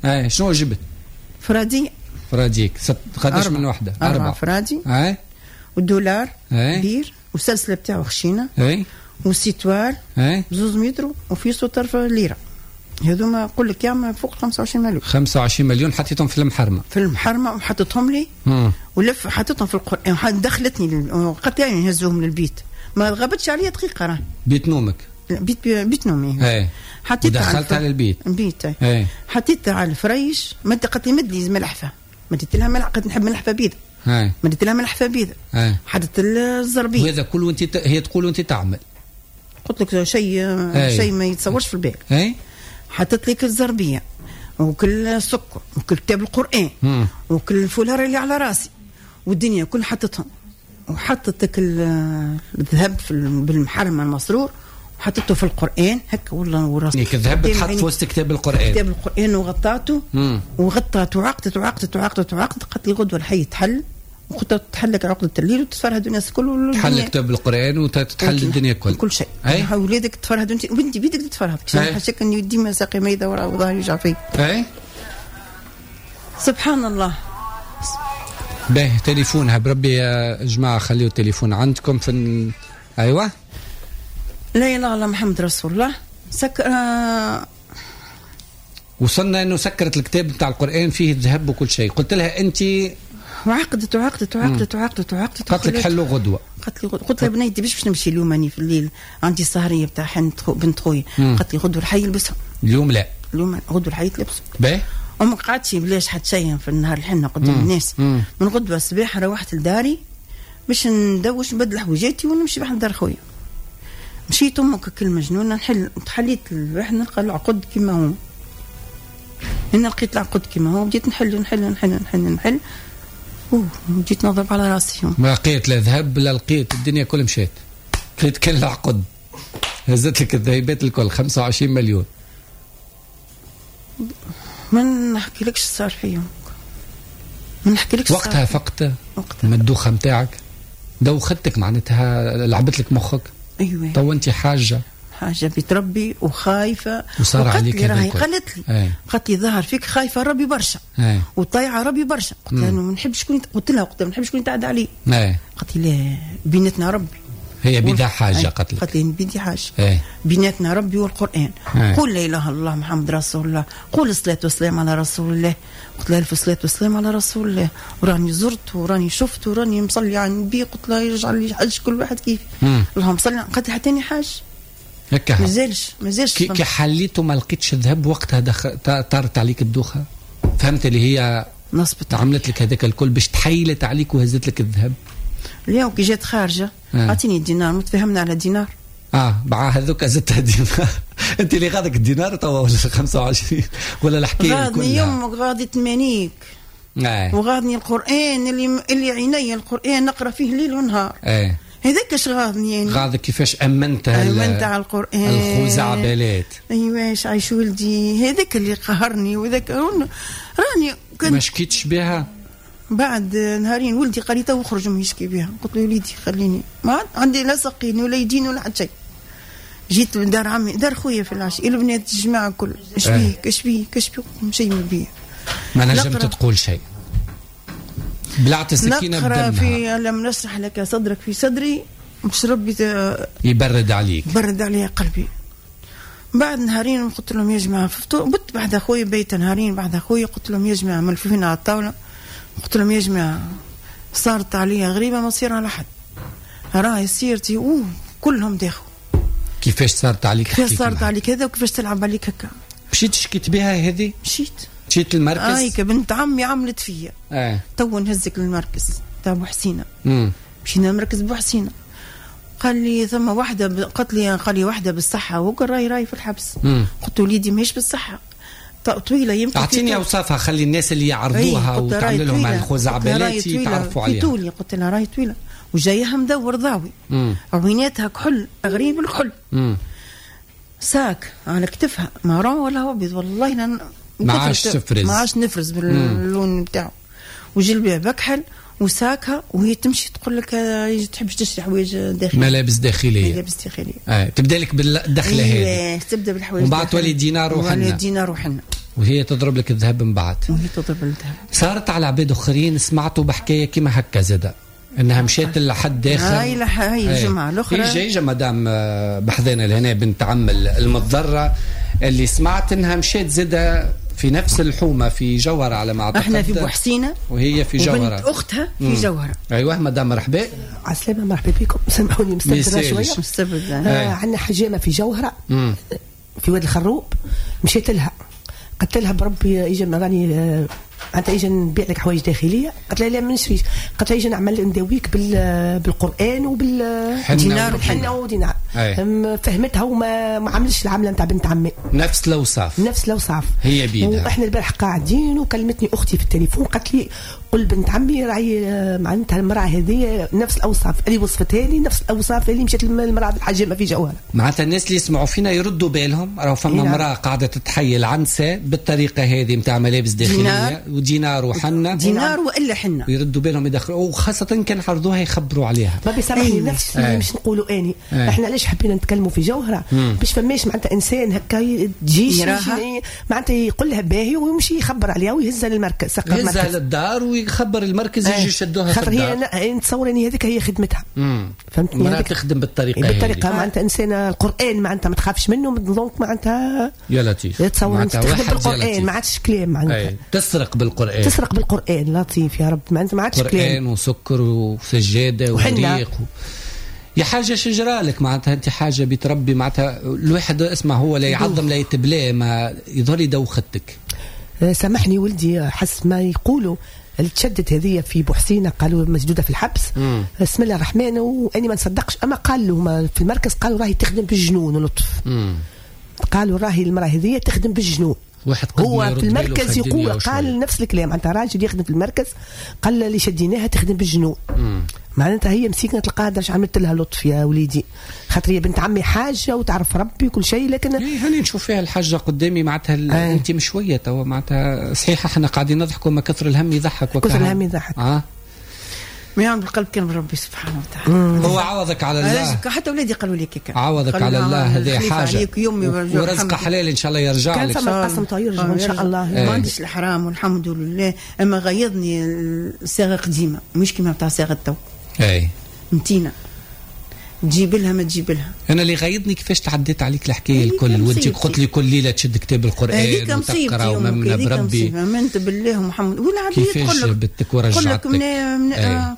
اي شنو جبت؟ فرادي. فراديك قداش من وحده؟ أربعة, أربعة فرادي. اي والدولار كبير والسلسله بتاعه خشينه. اي والسيتوار بزوز متر وفي طرف ليرة. هذوما نقول لك يعمل فوق خمسة وعشرين مليون. خمسة وعشرين مليون حطيتهم في المحرمة. في المحرمة وحطيتهم لي مم. ولف حطيتهم في القران. دخلتني قالت لي نهزوهم للبيت. ما غابتش عليا دقيقة راه. بيت نومك؟ بيت بيت نومي. ايه حطيتها دخلتها للبيت. البيت. ايه حطيتها على الفريش. ما قالت لي مد لي ملحفه. مديت لها ملعقة نحب ملحفه بيض. ايه مديت لها ملحفه بيض. ايه حطيت الزربيه. وهذا كله وانت ت... هي تقول وانت تعمل. قلت لك شيء شيء ما يتصورش في البال. اي حطيت لك الزربيه وكل السكر وكل كتاب القران مم. وكل الفولار اللي على راسي والدنيا كل حطتهم. وحطت الذهب في بالمحرمه المسرور وحطيته في القران هكا والله وراسي. الذهب تحط في وسط كتاب القران. كتاب القران وغطاته. وغطاته وعقدت وعقدت وعقدت وعقدت. قالت لي غدوه الحي تحل. وقلت تحلك عقدة الليل وتتفرهد الناس الكل. تحل كتاب القرآن وتتحل الدنيا الكل. كل شيء. ولادك تفرهد وانت وانت بيدك تتفرهد. حاشاك اني ديما ساقي ميدة ورا وظهري يوجع فيا. اي سبحان الله. باهي تليفونها بربي يا جماعة خليوا التليفون عندكم في ال... ايوه. لا اله الا الله محمد رسول الله. سك آه... وصلنا انه سكرت الكتاب نتاع القرآن فيه الذهب وكل شيء. قلت لها انت وعقدت وعقدت وعقدت وعقدت وعقدت. قالت لك حلو غدوه. قالت لي قلت لها بنيتي باش باش نمشي اليوم اني في الليل عندي سهريه بتاع حنت بنت خويا. قالت لي غدوه الحي يلبسهم. اليوم لا. اليوم غدوه الحي تلبسهم. باهي. وما قعدتش بلاش حتى شيء في النهار الحنة قدام مم. الناس. مم. من غدوه الصباح روحت لداري باش ندوش نبدل حويجاتي ونمشي بحال دار خويا. مشيت امك كل مجنونة نحل تحليت الواحد نلقى العقد كيما هو. انا لقيت العقد كيما هو بديت نحل نحل نحل نحل نحل. اوه جيت نضرب على راسي. ما لقيت لا ذهب لا لقيت الدنيا كل مشات. لقيت كل العقد. هزت لك الذهبات الكل خمسة وعشرين مليون. ما نحكيلكش صار فيهم. ما نحكيلكش وقتها فقت من الدوخه نتاعك دوختك معناتها لعبت لك مخك. ايوه تو انت حاجة حاجة بتربي وخايفة. وصار عليك راهي قالت لي قالت لي ظهر فيك خايفة ربي برشا وطايعه ربي برشا. قلت لها ما نحبش شكون قلت لها قلت لها ما نحبش شكون يتعدى علي. قالت لي لا بيناتنا ربي. هي بيدها حاجة قالت لك. قالت لي بيدي حاجة. ايه. بيناتنا ربي والقران. ايه. قول لا اله الا الله محمد رسول الله، قول الصلاة والسلام على رسول الله. قلت لها الف صلاة والسلام على رسول الله، وراني زرت وراني شفت وراني مصلي على النبي. قلت لها يرجع لي حج كل واحد كيف. اللهم صل. قالت لي حتى حاج هكا مازالش مازالش. كي, كي حليت وما لقيتش الذهب وقتها دخ... طارت عليك الدوخه. فهمت اللي هي نصبت عملت لك هذاك الكل باش تحيلت عليك وهزت لك الذهب. اليوم كي جات خارجه اعطيني الدينار متفاهمنا على دينار. اه مع هذوك زدتها دينار. انت اللي غادك الدينار توا ولا خمسة وعشرين ولا الحكاية غادني كلها. يمك غادي ثمانيك. آه. وغادني القران اللي اللي عيني القران نقرا فيه ليل ونهار. ايه هذاك اش غاضني يعني. غاضك كيفاش امنتها امنت على القران الخزعبلات. ايوا اش عايش ولدي هذاك اللي قهرني وذاك راني كنت ما شكيتش بها. بعد نهارين ولدي قال لي تو اخرج من يشكي بها. قلت له وليدي خليني ما عندي لا ساقين ولا يدين ولا حتى شيء. جيت من دار عمي دار خويا في العشي البنات الجماعة الكل اش بيك اش بيك اش بيك شيء ما بيا. ما نجمت تقول شيء. بلعت السكينة بدمها. نقرا في لم نشرح لك صدرك في صدري مش ربي يبرد عليك. يبرد علي قلبي. بعد نهارين قلت لهم يا جماعة بت بعد اخويا بيت نهارين بعد اخويا قلت لهم يا جماعة ملفوفين على الطاولة. قلت لهم يا جماعة صارت عليا غريبة ما تصير على حد. راهي سيرتي اوه كلهم داخل. كيفاش صارت عليك؟ كيفاش صارت عليك هذا وكيفاش تلعب عليك هكا؟ مشيت شكيت بها هذه؟ مشيت مشيت للمركز؟ هايك بنت عمي عملت فيا. اه تو نهزك للمركز تاع بوحسينه. امم مشينا لمركز بوحسينه. قال لي ثم واحدة قالت لي قال لي واحدة بالصحة وقال راي راي في الحبس. قلت له وليدي ماهيش بالصحة طويلة يمكن. اعطيني اوصافها خلي الناس اللي يعرضوها وتعمل لهم الخزعبلات يتعرفوا عليها. في طولي قلت لها راهي طويلة وجايها مدور ضاوي. عويناتها كحل غريب الكحل. مم. sac على كتفها marron ولا هو ابيض والله لن ما عادش تفرز، ما عادش نفرز باللون نتاعو، وجلباب اكحل وساكها، وهي تمشي تقول لك تحبش تشري حوايج داخلية، ملابس داخلية، ملابس داخلية. آه. تبدا لك بالدخله هذه، تبدا بالحوايج ومن بعد تولي دينار وحنه، دينار وحنه، وهي تضرب لك الذهب من بعد، وهي تضرب الذهب. صارت على عباد اخرين سمعتوا بحكاية كيما هكا زاده، انها مشات لحد داخل. هاي هاي الجمعة الاخرى هي جاية مدام بحذانا لهنا بنت عم المتضررة اللي سمعت انها مشات زاده في نفس الحومه في جوهره على ما اعتقد. احنا في بوحسينه وهي في جوهره، وبنت اختها في جوهره. ايوه مدام مرحبا. عسلامة، مرحبا بكم. سامحوني مستبدله شوية، مستبدله. آه عندنا حجامة في جوهره مم. في واد الخروب، مشيت لها قلت لها بربي اجا راني معناتها اجا نبيع لك حوايج داخلية. قالت لها لا ما نشريش. قالت لها اجا نعمل نداويك بالقران وبالدينار وحنه ودينار. فهمتها وما ما عملش العملة نتاع بنت عمي، نفس الاوصاف، نفس الاوصاف هي بيدها. واحنا البارح قاعدين وكلمتني اختي في التليفون قالت لي قل بنت عمي راهي معناتها المراة هذه نفس الاوصاف اللي وصفتها لي، نفس الاوصاف اللي مشات المراة الحجامة في جوهره. معناتها الناس اللي يسمعوا فينا يردوا بالهم، راهو فما مراة قاعدة تتحيل عن نساء بالطريقة هذه نتاع ملابس داخلية ودينار وحنه، دينار والا حنة، ويردوا بالهم يدخلوا، وخاصة كان عرضوها يخبروا عليها. ما بيسامحني نفس اللي مش نقولوا اني أي. احنا علاش حبينا نتكلموا في جوهره؟ باش فماش معناتها انسان هكا تجيش معناتها يقول لها باهي ويمشي يخبر عليها ويهزها للمركز، يهزها للدار ويخبر المركز يجي يشدوها. خاطر هي نتصور ان هذيك هي خدمتها. فهمتني؟ المراة تخدم بالطريقة بالطريقة معناتها انسانه القران معناتها ما تخافش منه، donc معناتها يا لطيف تصور تخدم بالقران، ما عادش كلام معناتها. تسرق بالقران، تسرق بالقران لطيف يا رب، معناتها ما عادش كلام. قران وسكر وسجاده وريق و... يا حاجة شجرة لك معناتها، انت حاجة بتربي معناتها الواحد اسمع هو لا يعظم لا يتبلى، ما يظهر يدوختك. سامحني ولدي، حس ما يقولوا اللي تشدت هذه في بوحسينه قالوا مسدودة في الحبس. مم. بسم الله الرحمن، واني ما نصدقش، اما قالوا في المركز قالوا راهي تخدم بالجنون ولطف. مم. قالوا راهي المراة هذه تخدم بالجنون. واحد هو في المركز يقول قال نفس الكلام، انت راجل يخدم في المركز قال اللي شديناها تخدم بالجنون. معناتها هي مسكينه تلقاها درش عملت لها لطف يا وليدي، خاطر هي بنت عمي حاجة وتعرف ربي وكل شيء، لكن هاني نشوف فيها الحاجة قدامي معناتها. آه. انت مش شوية توا معناتها صحيح احنا قاعدين نضحكوا، ما كثر الهم يضحك، كثر الهم يضحك. اه ما يعمل بالقلب كان بربي سبحانه وتعالى. هو عوضك على الله، حتى اولادي قالوا لي كيكا عوضك على الله، هذه حاجة ورزق حلال ان شاء الله يرجع كان لك. كان فما القسم يرجع ان شاء الله. ما عنديش الحرام والحمد لله، اما غيظني الصاغه قديمة مش كيما تاع صاغه تو. اي متينة تجيب لها ما تجيب لها. انا اللي غيظني كيفاش تعديت عليك الحكاية الكل، وانت قلت لي كل ليلة تشد كتاب القران وتقرا وممنه بربي، امنت بالله محمد والعبيد تقول لك بنتك ورجعتك،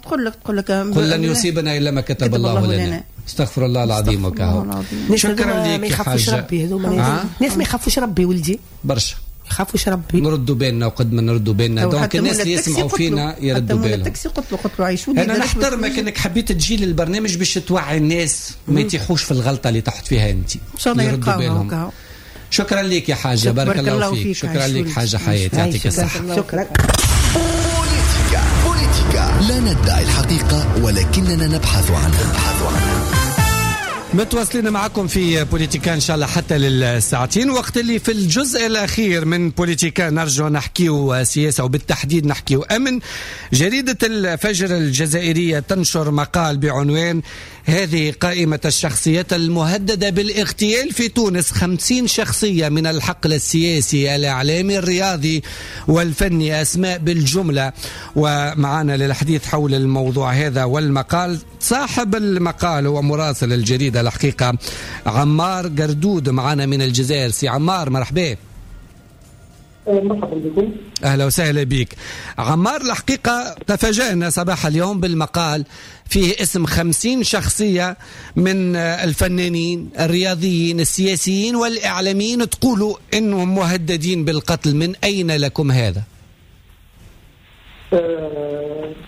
تقول لك تقول لك قل لن يصيبنا الا ما كتب الله لنا. استغفر الله العظيم وكهو. شكرا لك ما يخافوش ربي هذوما ناس، ما يخافوش ربي ولدي برشا، يخافوش ربي. نردوا بالنا وقد ما نردوا بالنا، donc الناس اللي يسمعوا فينا يردوا بالهم. التاكسي قلت له قلت له عيش ولدي. انا نحترمك انك حبيت تجي للبرنامج باش توعي الناس ما يتيحوش في الغلطة اللي تحت فيها انت، ان شاء الله يردوا بالهم. شكرا لك يا حاجة، بارك الله فيك. شكرا لك حاجة حياة، يعطيك الصحة. شكرا. بوليتيكا بوليتيكا لا ندعي الحقيقة ولكننا نبحث عنها. متواصلين معكم في بوليتيكا إن شاء الله حتى للساعتين، وقت اللي في الجزء الأخير من بوليتيكا نرجع نحكيو سياسة وبالتحديد نحكيو أمن. جريدة الفجر الجزائرية تنشر مقال بعنوان هذه قائمة الشخصيات المهددة بالاغتيال في تونس، خمسين شخصية من الحقل السياسي الإعلامي الرياضي والفني، أسماء بالجملة. ومعنا للحديث حول الموضوع هذا والمقال صاحب المقال هو مراسل الجريدة الحقيقة عمار قردود معنا من الجزائر. سي عمار مرحبا. مرحبا بكم. أهلا وسهلا بك عمار. الحقيقة تفاجأنا صباح اليوم بالمقال فيه اسم خمسين شخصية من الفنانين الرياضيين السياسيين والإعلاميين تقولوا إنهم مهددين بالقتل، من أين لكم هذا؟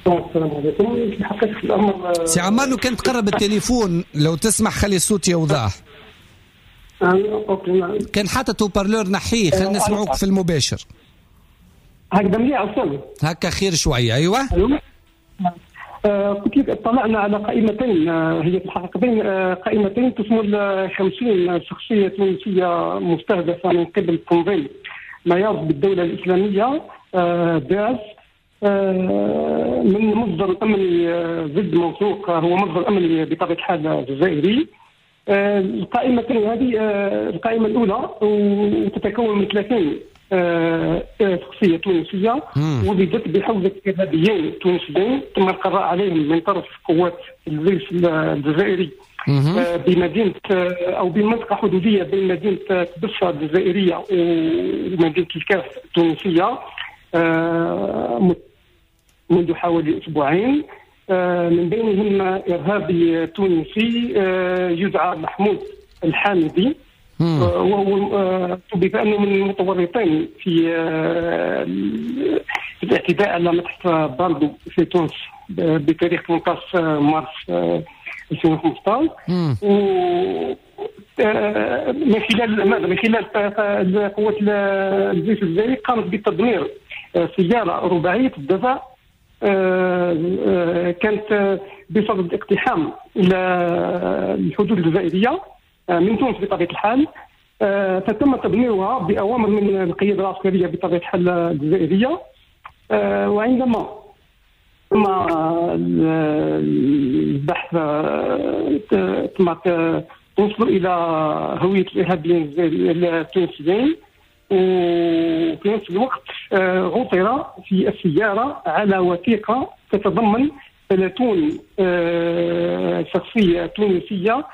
السلام عليكم. في حقيقة الأمر سي عمار لو كان تقرب التليفون لو تسمح خلي الصوت يوضح. كان حاطط haut-parleur نحيه خلينا نسمعوك في المباشر. هكذا مليح أصلا هكا خير شوية. أيوة. آه قلت لك اطلعنا على قائمتين، هي في الحقيقة بين قائمتين تشمل خمسين شخصية تونسية مستهدفة من قبل التنظيم. ما يعرف بالدولة الإسلامية داعش، من مصدر أمني ضد موثوق، هو مصدر أمني بطبيعة الحال جزائري. القائمة هذه القائمة الأولى وتتكون من ثلاثين شخصية تونسية وجدت بحوزة إرهابيين تونسيين تم القضاء عليهم من طرف قوات الجيش الجزائري بمدينة أو بمنطقة حدودية بين مدينة تبسة الجزائرية ومدينة الكاف التونسية منذ حوالي أسبوعين. من بينهم إرهابي تونسي يدعى محمود الحامدي، وهو بأنه من المتورطين في الاعتداء على متحف باردو في تونس بتاريخ ثمانية عشر مارس ألفين وخمسة عشر. و من خلال ماذا؟ من خلال قوات الجيش الجزائري قامت بتدمير سيارة رباعية الدفع كانت بصدد اقتحام إلى الحدود الجزائرية من تونس بطبيعة الحال، فتم تدميرها بأوامر من القيادة العسكرية بطبيعة الحال الجزائرية. وعندما تم البحث تم توصل إلى هوية الإرهابيين التونسيين، وفي نفس الوقت عثر في السيارة على وثيقة تتضمن ثلاثين شخصية تونسية،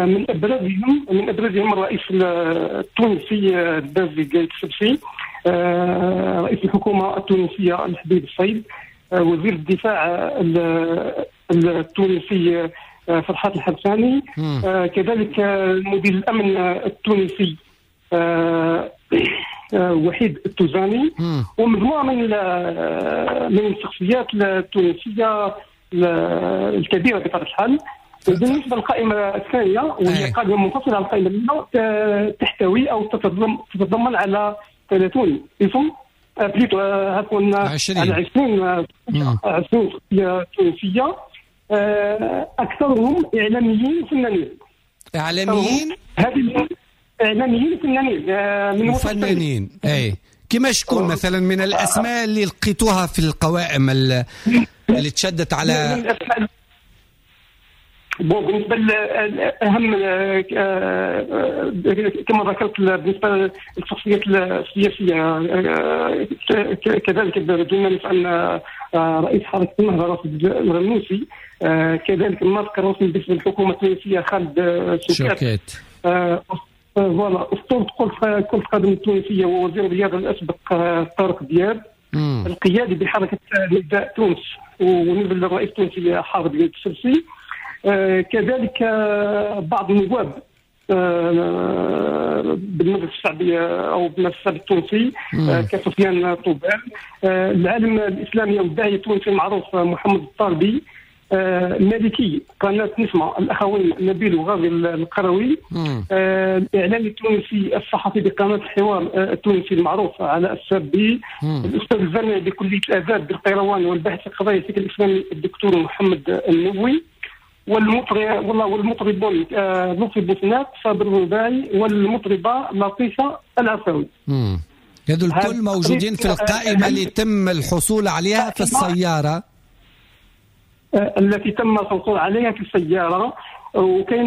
من أبرزهم من أبرزهم الرئيس التونسي البازي قايد السبسي، رئيس الحكومة التونسية الحبيب الصيد، وزير الدفاع التونسي فرحات الحبساني، كذلك مدير الأمن التونسي وحيد التوزاني، ومجموعة من من الشخصيات التونسية الكبيرة بطبيعة الحال. بالنسبة للقائمة الثانية وهي قائمة منفصلة عن القائمة الأولى، تحتوي أو تتضمن على ثلاثين اسم، plutôt عفوا على عشرين عشرين شخصية تونسية، أكثرهم إعلاميين وفنانين. إعلاميين؟ هذه إعلاميين وفنانين من فنانين. أي كما شكون مثلا من الأسماء اللي لقيتوها في القوائم اللي تشدت على؟ bon بالنسبة لأهم كما ذكرت بالنسبة للشخصيات السياسية، كذلك دون ننسى أن رئيس حركة النهضة راشد الغنوشي، كذلك الناطق الرسمي باسم الحكومة التونسية خالد شوكات، voilà اسطورة كرة القدم التونسية ووزير الرياضة الأسبق طارق دياب، القيادي بحركة نداء تونس ونزل الرئيس التونسي حافظ قايد السبسي، كذلك بعض النواب بالمجلس الشعبي أو بالمجلس الشعبي التونسي كسفيان طوبال، العالم الإسلامي والداعية التونسي المعروف محمد الطالبي، مالكي قناة نسمة الأخوين نبيل وغازي القروي، الإعلامي التونسي الصحفي بقناة الحوار التونسي المعروف علاء السابي، الأستاذ الجامعي بكلية الآداب بالقيروان والباحث في قضايا الفكر الإسلامي الدكتور محمد النووي، والمطرب والله والمطربون لطفي بوسنات صابر الرباعي والمطربة لطيفة العفاوي. هذول الكل موجودين في القائمة اللي تم الحصول عليها في السيارة، التي تم الحصول عليها في السيارة. وكاين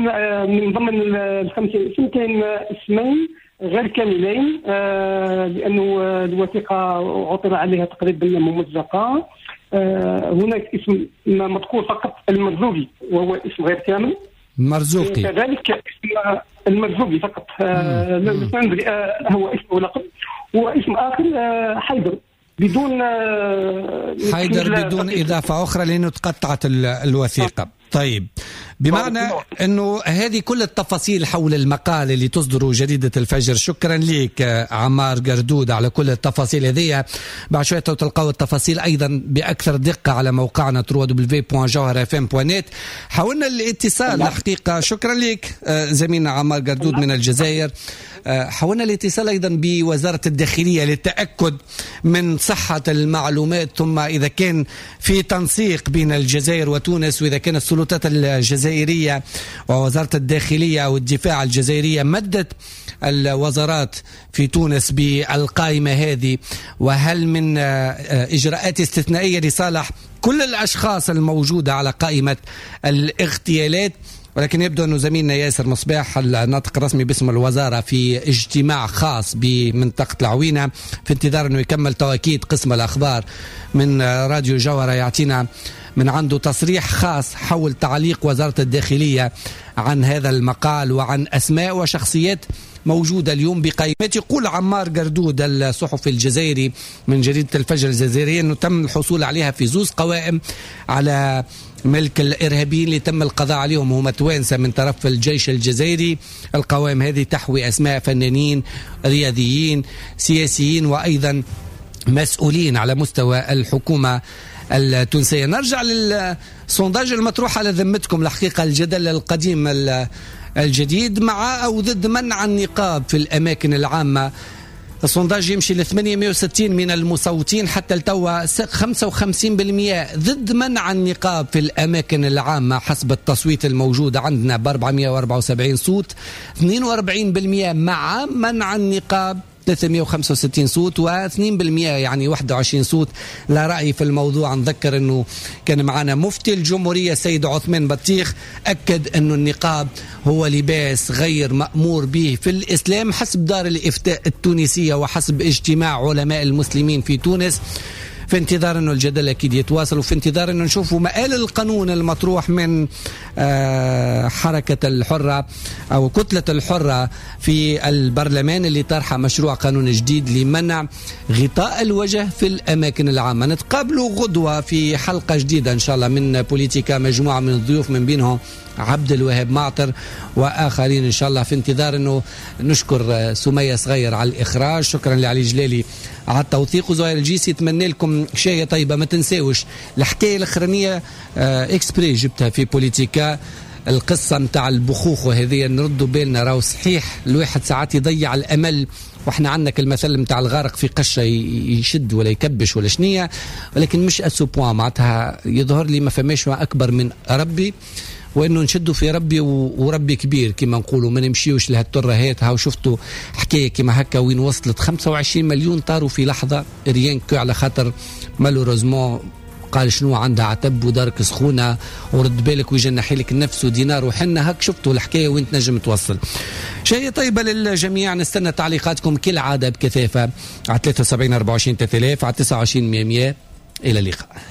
من ضمن الخمسة اسم كاين اسمين غير كاملين لأنه الوثيقة عثر عليها تقريبا ممزقة. هناك اسم مذكور فقط المرزوقي وهو اسم غير كامل، مرزوقي كذلك اسم المرزوقي فقط لا ندري هو اسم ولقب، واسم آخر حيدر بدون حيدر بدون إضافة أخرى لأنه تقطعت الوثيقة. طيب بمعنى أنه هذه كل التفاصيل حول المقال اللي تصدره جريدة الفجر. شكرا لك عمار قردود على كل التفاصيل هذه. بعد شوية تلقوا التفاصيل أيضا بأكثر دقة على موقعنا دبليو دبليو دبليو دوت جوهرة اف ام دوت نت. حاولنا الاتصال الحقيقة، شكرا لك زميلنا عمار قردود من الجزائر. حاولنا الاتصال أيضا بوزارة الداخلية للتأكد من صحة المعلومات، ثم إذا كان في تنسيق بين الجزائر وتونس، وإذا كان السلطات السلطات الجزائرية ووزارة الداخلية والدفاع الجزائرية مدت الوزارات في تونس بالقائمة هذه، وهل من إجراءات استثنائية لصالح كل الأشخاص الموجودة على قائمة الاغتيالات. ولكن يبدو أنه زميلنا ياسر مصباح الناطق الرسمي باسم الوزارة في اجتماع خاص بمنطقة العوينة، في انتظار أنه يكمل تواكيد قسم الأخبار من راديو جوهرة يعطينا من عنده تصريح خاص حول تعليق وزارة الداخلية عن هذا المقال وعن أسماء وشخصيات موجودة اليوم بقائمات. يقول عمار قردود الصحفي الجزائري من جريدة الفجر الجزائرية أنه تم الحصول عليها في زوز قوائم على ملك الإرهابيين اللي تم القضاء عليهم هم توانسة من طرف الجيش الجزائري. القوائم هذه تحوي أسماء فنانين، رياضيين، سياسيين، وأيضا مسؤولين على مستوى الحكومة التونسية. نرجع لل sondage المطروح على ذمتكم، الحقيقة الجدل القديم الجديد مع أو ضد منع النقاب في الأماكن العامة. ال sondage يمشي ل ثمانمئة وستين من المصوتين حتى التوا، خمسة وخمسين بالمئة ضد منع النقاب في الأماكن العامة حسب التصويت الموجود عندنا ب أربعمئة وأربعة وسبعين صوت، اثنين وأربعين بالمئة مع منع النقاب ثلاثمئة وخمسة وستين صوت، واثنين بالمئة يعني واحد وعشرين صوت لا رأي في الموضوع. نذكر أنه كان معنا مفتي الجمهورية السيد عثمان بطيخ أكد أنه النقاب هو لباس غير مأمور به في الإسلام حسب دار الإفتاء التونسية وحسب اجتماع علماء المسلمين في تونس. في انتظار أنه الجدل أكيد يتواصل، وفي انتظار أنه نشوفوا مآل القانون المطروح من حركة الحرة أو كتلة الحرة في البرلمان اللي طرح مشروع قانون جديد لمنع غطاء الوجه في الأماكن العامة. نتقابلوا غدوة في حلقة جديدة إن شاء الله من بوليتيكا، مجموعة من الضيوف من بينهم عبد الوهاب معطر وآخرين إن شاء الله. في انتظار أنه نشكر سمية صغير على الإخراج، شكرا لعلي جلالي على التوثيق، وزهير الجيسي. أتمنى لكم شاية طيبة. ما تنساوش الحكاية الأخرانية exprès جبتها في بوليتيكا، القصة متاع البخوخ وهذه نردوا بالنا، راهو صحيح الواحد ساعات يضيع الأمل، واحنا عندك المثل متاع الغارق في قشة يشد ولا يكبش ولا شنية، ولكن مش à ce point معناتها يظهر لي ما فماش ما أكبر من ربي، وانه نشدوا في ربي وربي كبير كما نقولوا، ما نمشيوش لهالترهات. هاو شفتوا حكايه كما هكا وين وصلت خمسة وعشرين مليون طاروا في لحظه rien que على خاطر malheureusement قال شنو عندها عتب ودارك سخونه ورد بالك ويجنحي لك النفس ودينار وحنا. هاك شفتوا الحكايه وين تنجم توصل. شيء طيبه للجميع، نستنى تعليقاتكم كالعاده بكثافه على ثلاثة وسبعين أربعة وعشرين ثلاثة آلاف، على تسعة وعشرين مئة. الى اللقاء.